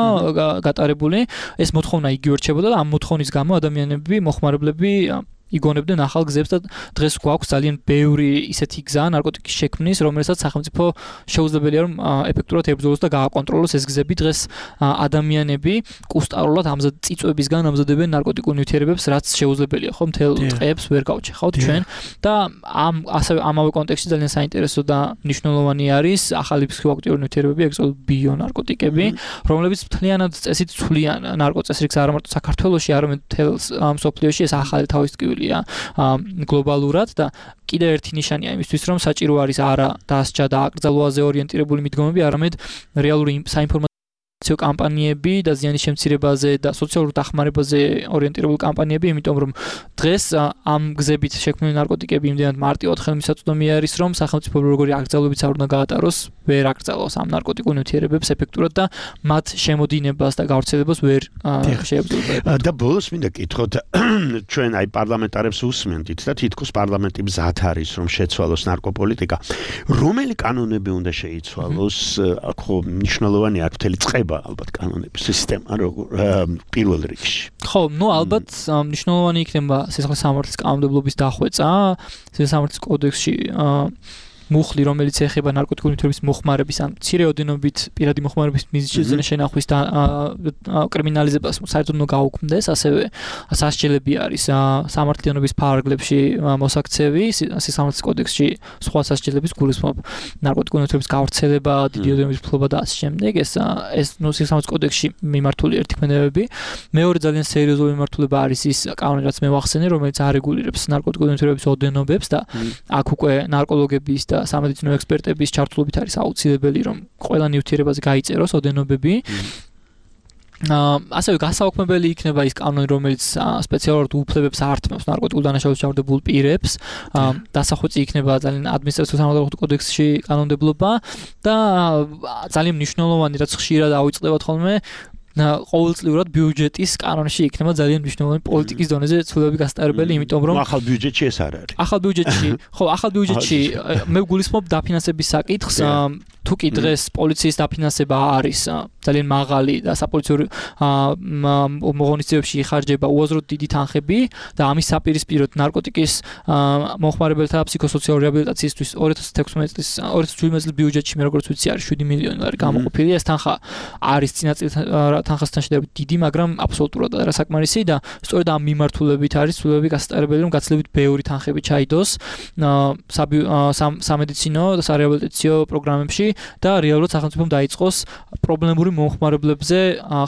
გატარებული, ეს მოთხოვნა იგივე რჩებოდა და ამ მოთხოვნის გამო ადამიანები, მოხმარებლები იგონებდნენ ახალ გზებს და დღეს გვაქვს ძალიან ბევრი ისეთი გზა ნარკოტიკის შექმნის, რომელსაც სახელმწიფო შეუძლებელია რომ ეფექტურად ებრძოლოს და გააკონტროლოს ეს გზები. დღეს ადამიანები კუსტარულად ამზად წიწვებისგან ამზადებენ ნარკოტიკულ ნივთიერებებს, რაც შეუძლებელია, ხო, მთელ ტყეებს ვერ გავჩეხავთ ჩვენ და ამ ასევე ამავე კონტექსტში ძალიან საინტერესო და მნიშვნელოვანი არის ახალი ფსიქოაქტიური ნივთიერებები, ეგრეთ ბიონარკოტიკები, რომლებიც მთლიანად წესით ცვლიან ნარკოწესრიგს არა მარტო საქართველოში, არამედ მთელ მსოფლიოში. ეს ახალი თავის ტკივილი გლობალურად და კიდევ ერთი ნიშანია იმისთვის, რომ საჭირო არის არა დასჯა და აკრძალვაზე ორიენტირებული მიდგომები, არამედ რეალური საინფორმაციო კამპანიები და ზიანის შემცირებაზე და სოციალურ დახმარებაზე ორიენტირებული კამპანიები, იმიტომ რომ დღეს ამ გზებით შექმნილი ნარკოტიკები იმდენად მარტივად ხელმისაწვდომი არის, რომ სახელმწიფო როგორი აკრძალვებიც არ უნდა გაატაროს, ვერ აკრძალავს ამ ნარკოტიკულ ნივთიერებებს ეფექტურად და მათ შემოდინებას და გავრცელებას ვერ შეებრძოლება. და ბოლოს მინდა გითხოთ, ჩვენ აი პარლამენტარებს უსმენთ და თითქოს პარლამენტი მზად არის, რომ შეცვალოს ნარკოპოლიტიკა. რომელი კანონები უნდა შეიცვალოს? ხო, მნიშვნელოვანი არის მთელი წყება ალბათ კანონების სისტემა როგორ პირველ რიგში. ხო, ნუ ალბათ მნიშვნელოვანი იქნება სიცოცხლის სამართლის კანონმდებლობის დახვეწა, სიცოცხლის სამართლის კოდექსში მუხლი, რომელიც ეხება ნარკოტიკული ნივთიერების მოხმარების ან მცირე ოდენობით პირადი მოხმარების მიზეზზე შენახვის და კრიმინალიზებას საერთოდ უნდა გაუქმდეს, ასევე სასჯელები არის სამართლიანობის ფარგლებში მოსაქცევი, სიცოცხლის კოდექსში სხვა სასჯელების გულისხმობ ნარკოტიკული ნივთიერების გავრცელება, დიდი ოდენობის ფლობა და ასე შემდეგ. ეს ეს ნუ სიცოცხლის კოდექსში მიმართული ერთი ქმედებები. მეორე ძალიან სერიოზული მიმართულება არის ის კანონი, რაც მე ვახსენე, რომელიც არეგულირებს ნარკოტიკული ნივთიერების ოდენობებს და აქ უკვე ნარკოლოგების და სამედიცინო ექსპერტების ჩართულობით არის აუცილებელი, რომ ყველა ნივთიერებაზე გაიწეროს ოდენობები. ასევე გასაუქმებელი იქნება ის კანონი, რომელიც სპეციალურად უფლებებს ართმევს ნარკოტიკულ დანაშაულს ჩავარდებულ პირებს. დასახვეწი იქნება ძალიან ადმინისტრაციულ სამართალდამხმარებლო კოდექსში კანონმდებლობა და ძალიან მნიშვნელოვანი, რაც ხშირად ავიწყდებათ ხოლმე, ყოველწლიურად ბიუჯეტის კანონში იქნება ძალიან მნიშვნელოვანი პოლიტიკის დონეზე ცვლილებები გასტარებელი, იმიტომ რომ ახალ ბიუჯეტში ეს არ არის. ახალ ბიუჯეტში, ხო, ახალ ბიუჯეტში მე ვგულისხმობ დაფინანსების საკითხს. თუ კი დღეს პოლიციის დაფინანსება არის ძალიან მაღალი და საპოლიციო მოღონისძიებებში იხარჯება უაზროდ დიდი თანხები და ამის საპირისპიროდ ნარკოტიკის მოხმარებელთა ფსიქოსოციალური რეაბილიტაციისთვის ორი ათას თექვსმეტი წლის ორი ათას შვიდმეტი წლის ბიუჯეტში მე როგორც ვიცი არის შვიდი მილიონი ლარი გამოყოფილი. ეს თანხა არის წინა წლის თანხასთან შედარებით დიდი, მაგრამ აბსოლუტურად არასაკმარისი და სწორედ ამ მიმართულებით არის ცვლილებები გასტარებელი, რომ გაცილებით ბევრი თანხები ჩაიდოს სამედიცინო და სარეაბილიტაციო პროგრამებში და რეალურად სახელმწიფომ დაიწყოს პრობლემური მომხმარებლებზე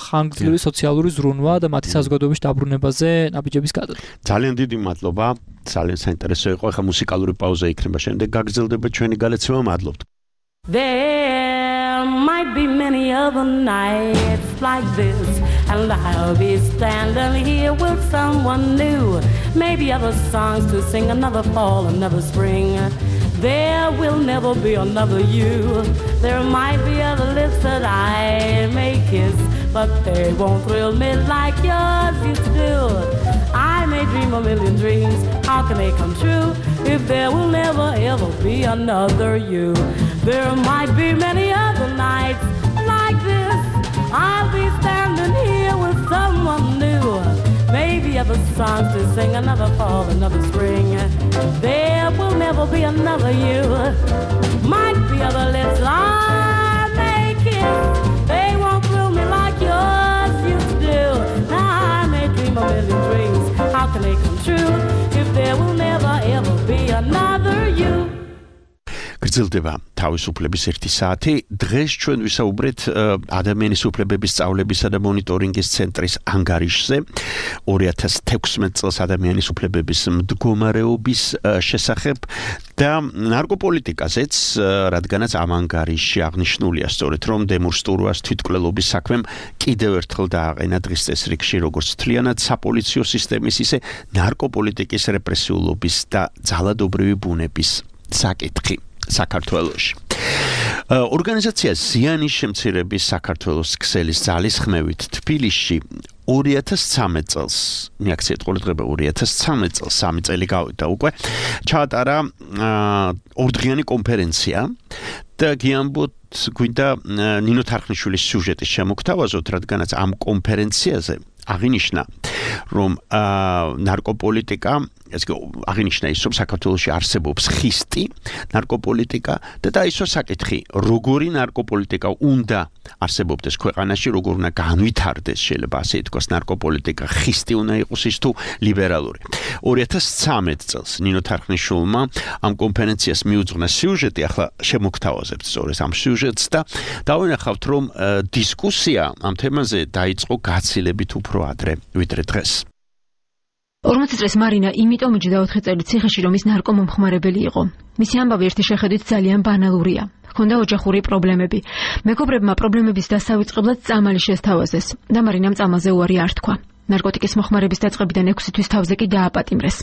ხანგრძლივი სოციალური ზრუნვა და მათი საზოგადოებაში დაბრუნებაზე ნაბიჯების გადადგმა. ძალიან დიდი მადლობა, ძალიან საინტერესო იყო. ახლა მუსიკალური პაუზა იქნება, შემდეგ გაგრძელდება ჩვენი გალეცება. მადლობთ. There might be many other nights like this, and I'll be standing here with someone new. Maybe other songs to sing, another fall, another spring. There will never be another you. There might be other lips that I may kiss, but they won't thrill me like yours used to do. I may may dream a million dreams. How can they come true if there will never ever be another you? There might be many other nights like this. I'll be standing here with someone new. Maybe other songs to sing, another fall, another spring. There will never be another you. Might be other lips I may kiss. They won't thrill me like yours used to do. Now I may dream a million dreams. How can they come true if there will never ever be another you? გრძელდება თავისუფლების ერთი საათი. დღეს ჩვენ ვისაუბრეთ ადამიანის უფლებების სწავლებისა და მონიტორინგის ცენტრის ანგარიშზე ორი ათას თექვსმეტ წელს ადამიანის უფლებების მდგომარეობის შესახებ და ნარკოპოლიტიკაზეც, რადგანაც ამ ანგარიშში აღნიშნულია სწორედ რომ დემურ სტურვას თვითმკვლელობის საქმემ კიდევ ერთხელ დააყენა დღის წესრიგში როგორც მთლიანად საპოლიციო სისტემის, ისე ნარკოპოლიტიკის რეპრესიულობის და ძალადობრივი ბუნების საკითხი საქართველოში. ორგანიზაცია ზიანის შემცირების საქართველოს ქსელის ძალისხმევით თბილისში ორი ათას ცხრამეტ წელს, მიაქციეთ ყურადღება ორი ათას ცხრამეტ წელს, სამი წელი გავიდა უკვე, ჩაატარა ორდღიანი კონფერენცია და გიამბოთ გვინდა ნინო თარხნიშვილის სიუჟეტის შემოგთავაზოთ, რადგანაც ამ კონფერენციაზე აღინიშნა რომ ნარკოპოლიტიკა ესე აღინიშნა ის რომ საქართველოში არსებობს ხისტი ნარკოპოლიტიკა და დაისვა საკითხი როგორი ნარკოპოლიტიკა უნდა არსებობდეს ქვეყანაში, როგორ უნდა განვითარდეს, შეიძლება ასე ითქვას, ნარკოპოლიტიკა ხისტი უნდა იყოს ის თუ ლიბერალური. ორი ათას ცხრამეტ წელს ნინო თარხნიშვილმა ამ კონფერენციას მიუძღვნა სიუჟეტი, ახლა შემოგთავაზებთ სწორედ ამ სიუჟეტს და დავინახავთ რომ დისკუსია ამ თემაზე დაიწყო გაცილებით უფრო ადრე ვიდრე დღეს. ორმოცი წლის მარინა იმიტომ იჯდა ოთხი წელი ციხეში, რომ ის ნარკომომხმარებელი იყო. მისი ამბავი ერთი შეხედვით ძალიან ბანალურია. ჰქონდა ოჯახური პრობლემები. მეგობრებმა პრობლემების დასავიწყებლად წამალი შესთავაზეს და მარინამ წამალზე უარი არ თქვა. ნარკოტიკის მოხმარების დაწყებიდან ექვსი თვის თავზე კი დააპატიმრეს.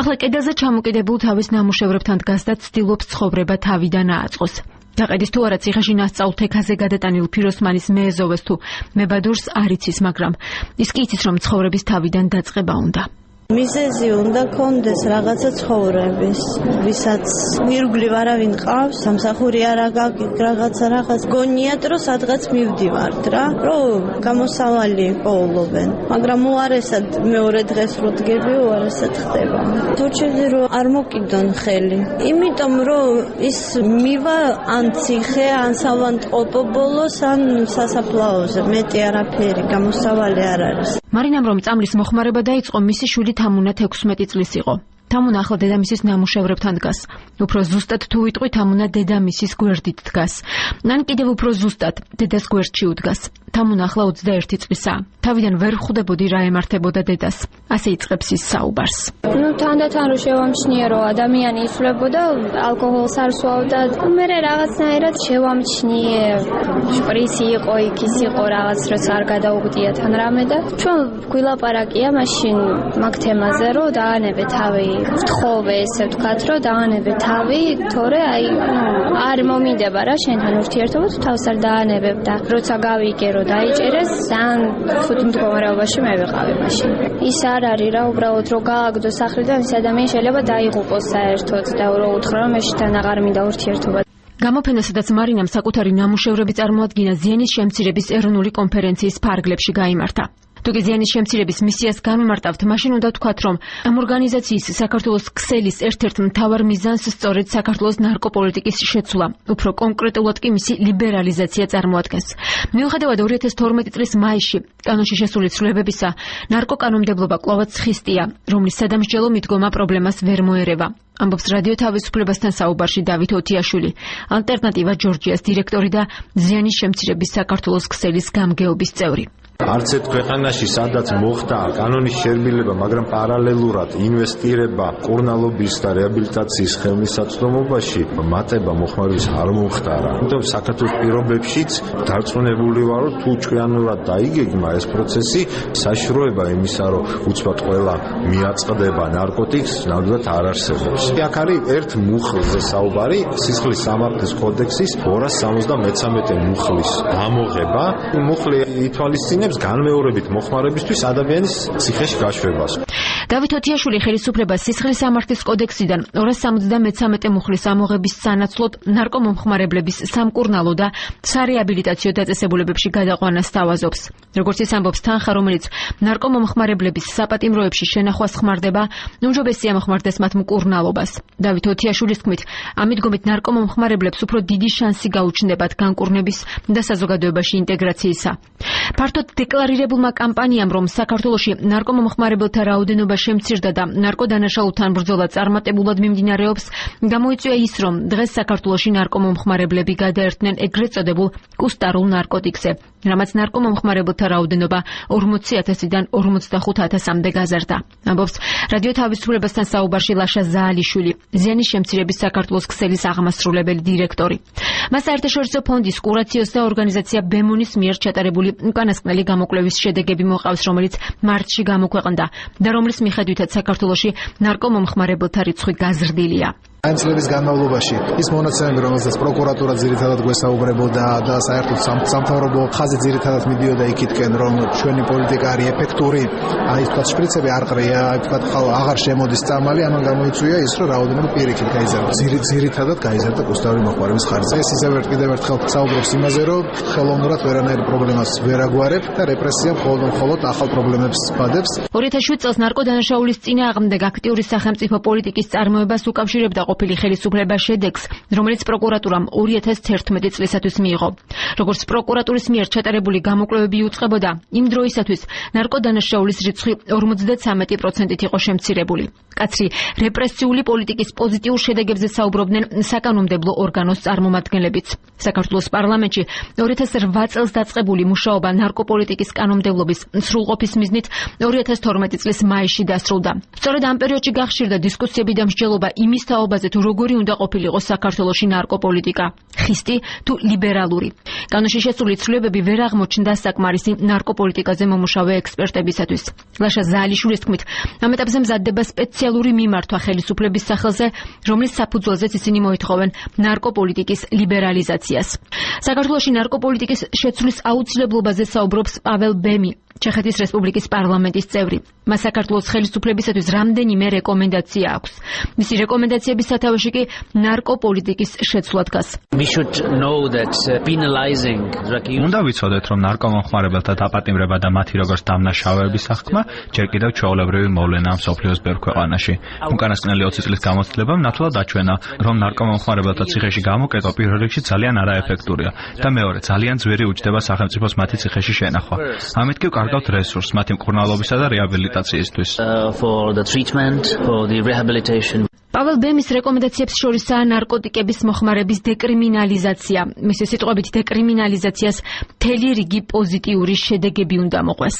ახლა კედელზე ჩამოკიდებულ თავის ნამუშევრებთან დგას და ცდილობს ცხოვრება თავიდან ააწყოს. დაყედის თუ არა ციხეში ნასწავლ თექაზე გადატანილ ფიროსმანის მეეზოვეს თუ მებადურს არ იცის, მაგრამ ის კი იცის რომ ცხოვრების თავიდან დაწყება უნდა. მიზეზი უნდა კონდეს რაღაცა ცხოვრების, ვისაც ირგვლივ არავინ ყავს, სამსახური არ აგაკ რაღაცა რაღაც გონიათ რომ სადღაც მივდივართ რა, რომ გამოსავალი პოულობენ, მაგრამ უარესად მეორე დღეს რო დგები, უარესად ხდება. თორჩები რომ არ მოკიდონ ხელი, იმიტომ რომ ის მივა ან ციხე, ან სავანტყოფო ბოლოს, ან სასაფლაოზე, მეტი არაფერი, გამოსავალი არ არის. მარინამ რომ წამლის მოხმარება დაიწყო, მისი შვილი თამუნა თექვსმეტი წლის იყო. თამუნა ახლა დედამისის ნამუშევრებთან დგას. უფრო ზუსტად თუ ვიტყვი, თამუნა დედამისის გვერდით დგას. ან კიდევ უფრო ზუსტად, დედას გვერდში უდგას. თამუნა ახლა ოცდაერთი წლისაა. თავიდან ვერ ხვდებოდი რა ემართებოდა დედას. ასე იწყებს ის საუბარს. ნუ თანდათან რო შევამჩნია, რომ ადამიანი იცვლებოდა, ალკოჰოლს არ სვავდა, მე რაღაცნაირად შევამჩნიე, შპრიცი იყო, იქ ის იყო, რაღაც როცა არ გადაუგდია თან რამე და ჩვენ გვილაპარაკია მაშინ მაგ თემაზე, რომ დაანებე თავი, ვთხოვე ესე ვთქვათ, რომ დაანებე თავი, თორე აი არ მომინდება რა შენთან ურთიერთობა, თუ თავს არ დაანებებ და როცა გავიგე რომ დაიჭერეს, ძალიან ხუთ მდგომარეობაში მე ვიყავი მაშინ. ის არ არის რა, უბრალოდ რომ გააგდო სახლიდან ის ადამიანი შეიძლება დაიღუპოს საერთოდ და რო უთხრა რომ მეშთან აღარ მინდა ურთიერთობა. გამოფენა, სადაც მარინამ საკუთარი ნამუშევრები წარმოადგინა, ზიანის შემცირების ეროვნული კონფერენციის ფარგლებში გაიმართა. თუკი ზიანის შემცირების მისიას გამიმარტავთ, მაშინ უნდა ვთქვათ, რომ ამ ორგანიზაციის საქართველოს ქსელის ერთ-ერთ მთავარ მიზანს სწორედ საქართველოს ნარკოპოლიტიკის შეცვლა, უფრო კონკრეტულად კი მისი ლიბერალიზაცია წარმოადგენს. მიუხედავად ორი ათას თორმეტი წლის მაისში კანონში შესული ცვლილებებისა, ნარკოკანონმდებლობა კვლავაც ხისტია, რომლის სადამსჯელო მიდგომა პრობლემას ვერ მოერევა. ამბობს რადიო თავისუფლებასთან საუბარში დავით ოთიაშვილი, ალტერნატივა ჯორჯიას დირექტორი და ზიანის შემცირების საქართველოს ქსელის გამგეობის წევრი. არც ერთ ქვეყანაში სადაც მოხდა კანონის შერბილება, მაგრამ პარალელურად ინვესტირება კურნალობის და რეაბილიტაციის ხელმისაწვდომობაში მატება მოხმარების არ მომხდარა. იმიტომ საქართველოს პირობებშიც დარწმუნებული ვარ, რომ თუ ჭკვიანურად დაიგეგმა ეს პროცესი, საშროება იმისა, რომ უცბად ყველა მიაწყდება ნარკოტიკს, ნამდვილად არ არსებობს. აქ არის ერთ მუხლზე საუბარი, სისხლის სამართლის კოდექსის ორას სამოცდამეცამეტე მუხლის ამოღება. მუხლი ითვალისწინებს აწარმოებინებს განმეორებით მოხმარებისთვის ადამიანის ციხეში გაშვებას. დავით ოთიაშვილი ხელისუფლებას სისხლის სამართლის კოდექსიდან ორას სამოცდამეცამეტე მუხლის ამოღების სანაცვლოდ ნარკომომხმარებლების სამკურნალო და სარეაბილიტაციო დაწესებულებებში გადაყვანას თავაზობს. როგორც ის ამბობს, თანხა, რომელიც ნარკომომხმარებლების საპატიმროებში შენახვას ხმარდება, უმჯობესია მოხმარდეს მათ მკურნალობას. დავით ოთიაშვილის თქმით, ამ მიდგომით ნარკომომხმარებლებს უფრო დიდი შანსი გაუჩნდებათ განკურნების და საზოგადოებაში ინტეგრაციისა. ფართოდ დეკლარირებულმა კამპანიამ, რომ საქართველოში ნარკომომხმარებელთა რაოდენობა შემცირდა და ნარკოდანაშაულთან ბრძოლა წარმატებულად მიმდინარეობს, გამოიწვია ის, რომ დღეს საქართველოში ნარკომომხმარებლები გადაერთნენ ეგრეთ წოდებულ კუსტარულ ნარკოტიკზე, რამაც ნარკომომხმარებელთა რაოდენობა ორმოცი ათასიდან ორმოცდახუთ ათასამდე გაზარდა. ამბობს რადიო თავისუფლებასთან საუბარში ლაშა ზაალიშვილი, ზიანის შემცირების საქართველოს ქსელის აღმასრულებელი დირექტორი. მას საერთაშორისო ფონდის კურაციოს და ორგანიზაცია ბემონის მიერ ჩატარებული უკანასკნელი გამოკვლევის შედეგები მოყავს, რომელიც მარტში გამოქვეყნდა და რომლის მიხედვითაც საქართველოში ნარკომომხმარებელთა რიცხვი გაზრდილია. ამ წლების განმავლობაში ის მონაცემები, რომელსაც პროკურატურა ძირითადად გვესაუბრებოდა და საერთოდ სამთავრობო ხაზი ძირითადად მიდიოდა იქითკენ, რომ ჩვენი პოლიტიკა არის ეფექტური, აი თქვა შპრიცები არ ყრია, აი თქვა აღარ შემოდის წამალი, ამან გამოიწვია ის, რომ რაოდენობა პირიქით გაიზარდა. ძირითადად გაიზარდა კუსტარული მოხმარების ხარჯზე. ეს ისევ კიდევ ერთხელ საუბრობს იმაზე, რომ ხელოვნურად ვერანაირ პრობლემას ვერ აგვარებ და რეპრესია მხოლოდ ახალ პრობლემებს ბადებს. ორი ათას შვიდ წელს ნარკოდანაშაულის წინააღმდეგ აქტიური სახელმწიფო პოლიტიკის წარმოებას უკავშირებდა ყოფილი ხელისუფლება შედეგს, რომელიც პროკურატურამ ორი ათას თერთმეტი წლისათვის მიიღო. როგორც პროკურატურის მიერ ჩატარებული გამოკვლევები იუწყებოდა, იმ დროისათვის ნარკოდანაშაულის რიცხვი ორმოცდათვრამეტი პროცენტით იყო შემცირებული. კაცრი რეპრესიული პოლიტიკის პოზიტიურ შედეგებზე საუბრობდნენ საკანონმდებლო ორგანოს წარმომადგენლებიც. საქართველოს პარლამენტში ორი ათას რვა წელს დაწყებული მუშაობა ნარკოპოლიტიკის კანონმდებლობის სრულყოფის მიზნით ორი ათას თორმეტი წლის მაისში დასრულდა. სწორედ ამ პერიოდში გახშირდა დისკუსიები და მსჯელობა იმის თაობაზე, თუ როგორი უნდა ყოფილიყო საქართველოში ნარკოპოლიტიკა, ხისტი თუ ლიბერალური. კანონში შესული ცვლილებები ვერ აღმოჩნდა საკმარისი ნარკოპოლიტიკაზე მომუშავე ექსპერტებისათვის. ლაშა ზაალიშვილის თქმით, ამ ეტაპზე მზადდება სპეციალური მიმართვა ხელისუფლების სახელზე, რომლის საფუძველზეც ისინი მოითხოვენ ნარკოპოლიტიკის ლიბერალიზაციას. საქართველოში ნარკოპოლიტიკის შეცვლის აუცილებლობაზე საუბრობს პაվել ბემი, ჩეხეთის რესპუბლიკის პარლამენტის წევრი. მას საქართველოს ხელისუფლებისათვის რამდენიმე რეკომენდაცია აქვს. მისი რეკომენდაციების სათავეში კი ნარკოპოლიტიკის შეცვლა დგას. უნდა ვიცოდეთ, რომ ნარკომომხმარებელთა დაპატიმრება და მათი როგორც დამნაშავეების აღქმა ჯერ კიდევ ჩვეულებრივი მოვლენაა მსოფლიოს ბევრ ქვეყანაში. უკანასკნელი ოცი წლის გამოცდილებამ ნათლად აჩვენა, რომ ნარკომომხმარებელთა ციხეში გამოკეტვა პირველ რიგში ძალიან არაეფექტურია და მეორე ძალიან ძვირი უჯდება სახელმწიფოს მათი ციხეში შენახვა. ამით კი კარგავთ რესურსს მათი მკურნალობისა და რეაბილიტაციისთვის. პაվել ბემის რეკომენდაციებს შორისაა ნარკოტიკების მოხმარების დეკრიმინალიზაცია. მისი სიტყვებით, დეკრიმინალიზაციას მთელი რიგი პოზიტიური შედეგები უნდა მოყვეს.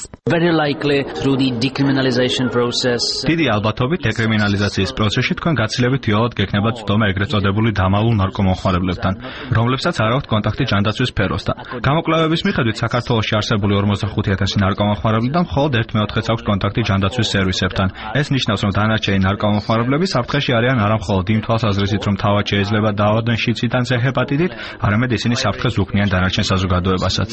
დიდი ალბათობით დეკრიმინალიზაციის პროცესში თქვენ გაცილებით იოლად გექნებათ ცდომა ეგრეთ წოდებული დამალულ ნარკომომხმარებლებთან, რომლებსაც არ აქვთ კონტაქტი ჯანდაცვის სფეროსთან. გამოკვლევების მიხედვით საქართველოში არსებული ორმოცდახუთი ათასი ნარკომომხმარებელთან მხოლოდ ერთ მეოთხედს აქვს კონტაქტი ჯანდაცვის სერვისებთან. ეს ნიშნავს, რომ დანარჩენი ნარკომომხმარებლები საფრთხეში არიან არა მხოლოდ იმ თვალსაზრისით, რომ თავად შეიძლება დაავადდნენ შიცით ან ჰეპატიტით, არამედ ისინი საფრთხეს უქმნიან დანარჩენ საზოგადოებასაც.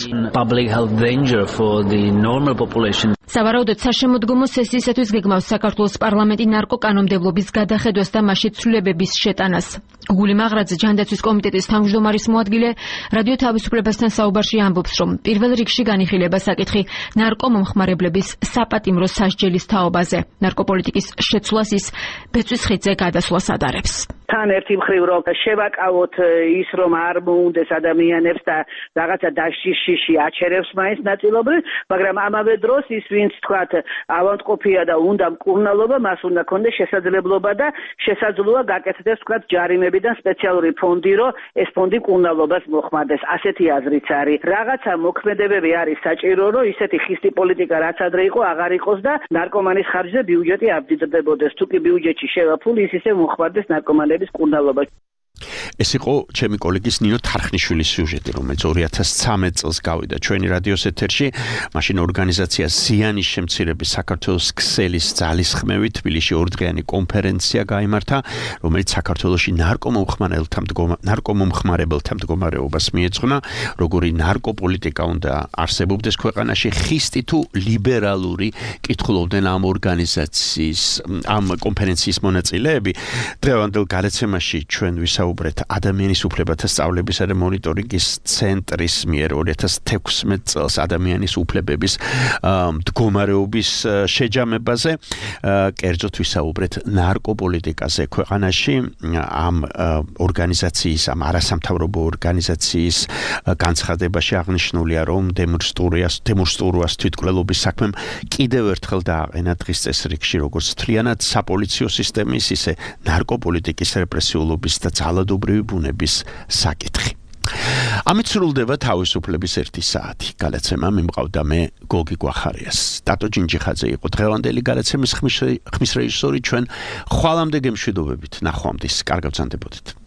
სავარაუდოდ საშემოდგომო სესიისათვის გეგმავს საქართველოს პარლამენტი ნარკოკანონმდებლობის გადახედვას და მასში ცვლილებების შეტანას. გუგული მაღრაძე, ჯანდაცვის კომიტეტის თავმჯდომარის მოადგილე, რადიო თავისუფლებასთან საუბარში ამბობს, რომ პირველ რიგში განიხილება საკითხი ნარკომომხმარებლების საპატიმრო სასჯელის თაობაზე. ნარკოპოლიტიკის შეცვლას ის ბეწვის ხიდზე გადასვლას ადარებს. თან ერთი მხრივ რომ შევაკავოთ ის, რომ არ მოუნდეს ადამიანებს და რაღაცა დაშიში აჩერებს მაინც ნაწილობრივ, მაგრამ ამავე დროს ის ვინც თქვათ ავადმყოფია და უნდა მკურნალობა, მას უნდა ქონდეს შესაძლებლობა და შესაძლოა გაკეთდეს თქვათ ჯარიმებიდან სპეციალური ფონდი, რომ ეს ფონდი მკურნალობას მოხმარდეს. ასეთი აზრიც არის. რაღაცა მოქმედებები არის საჭირო, რომ ისეთი ხისტი პოლიტიკა რაც ადრე იყო, აღარ იყოს და ნარკომანის ხარჯზე ბიუჯეტი აბდიდდებოდეს. თუ კი ბიუჯეტში შევა ფული, ის ისე მოხმარდეს ნარკომანების კურნალობა. ეს იყო ჩემი კოლეგის ნინო თარხნიშვილის სიუჟეტი, რომელიც ორი ათას ცხრამეტ წელს გავიდა ჩვენი რადიოს ეთერში. მაშინ ორგანიზაცია ზიანის შემცირების საქართველოს ქსელის ძალისხმევით თბილისში ორდღიანი კონფერენცია გაიმართა, რომელიც საქართველოში ნარკომომხმარებელთა ნარკომომხმარებელთა მდგომარეობას მიეძღვნა, როგორი ნარკოპოლიტიკა უნდა არსებობდეს ქვეყანაში, ხისტი თუ ლიბერალური კითხულობდნენ ამ ორგანიზაციის ამ კონფერენციის მონაწილეები. დღევანდელ გადაცემაში ჩვენ ვისაუბრეთ ადამიანის უფლებათა სწავლებისა და მონიტორინგის ცენტრის მიერ ორი ათას თექვსმეტ წელს ადამიანის უფლებების მდგომარეობის შეჯამებაზე, კერძოდ ვისაუბრეთ ნარკოპოლიტიკაზე ქვეყანაში, ამ ორგანიზაციის, ამ არასამთავრობო ორგანიზაციის განცხადებაში აღნიშნულია, რომ დემონსტრუას თვითმკვლელობის საქმემ კიდევ ერთხელ დააყენა დღის წესრიგში, როგორც მთლიანად საპოლიციო სისტემის, ისე ნარკოპოლიტიკის რეპრესიულობის და ძალადობრივი ბუნების საკითხი. ამით სრულდება თავისუფლების ერთი საათი. გადაცემა მიმყავდა მე გოგი გვახარიას. დატო ჯინჯიხაძე იყო დღევანდელი გადაცემის ხმის რეჟისორი. ჩვენ ხვალამდე გემშვიდობებით. ნახვამდის. კარგად გრძანდებოდეთ.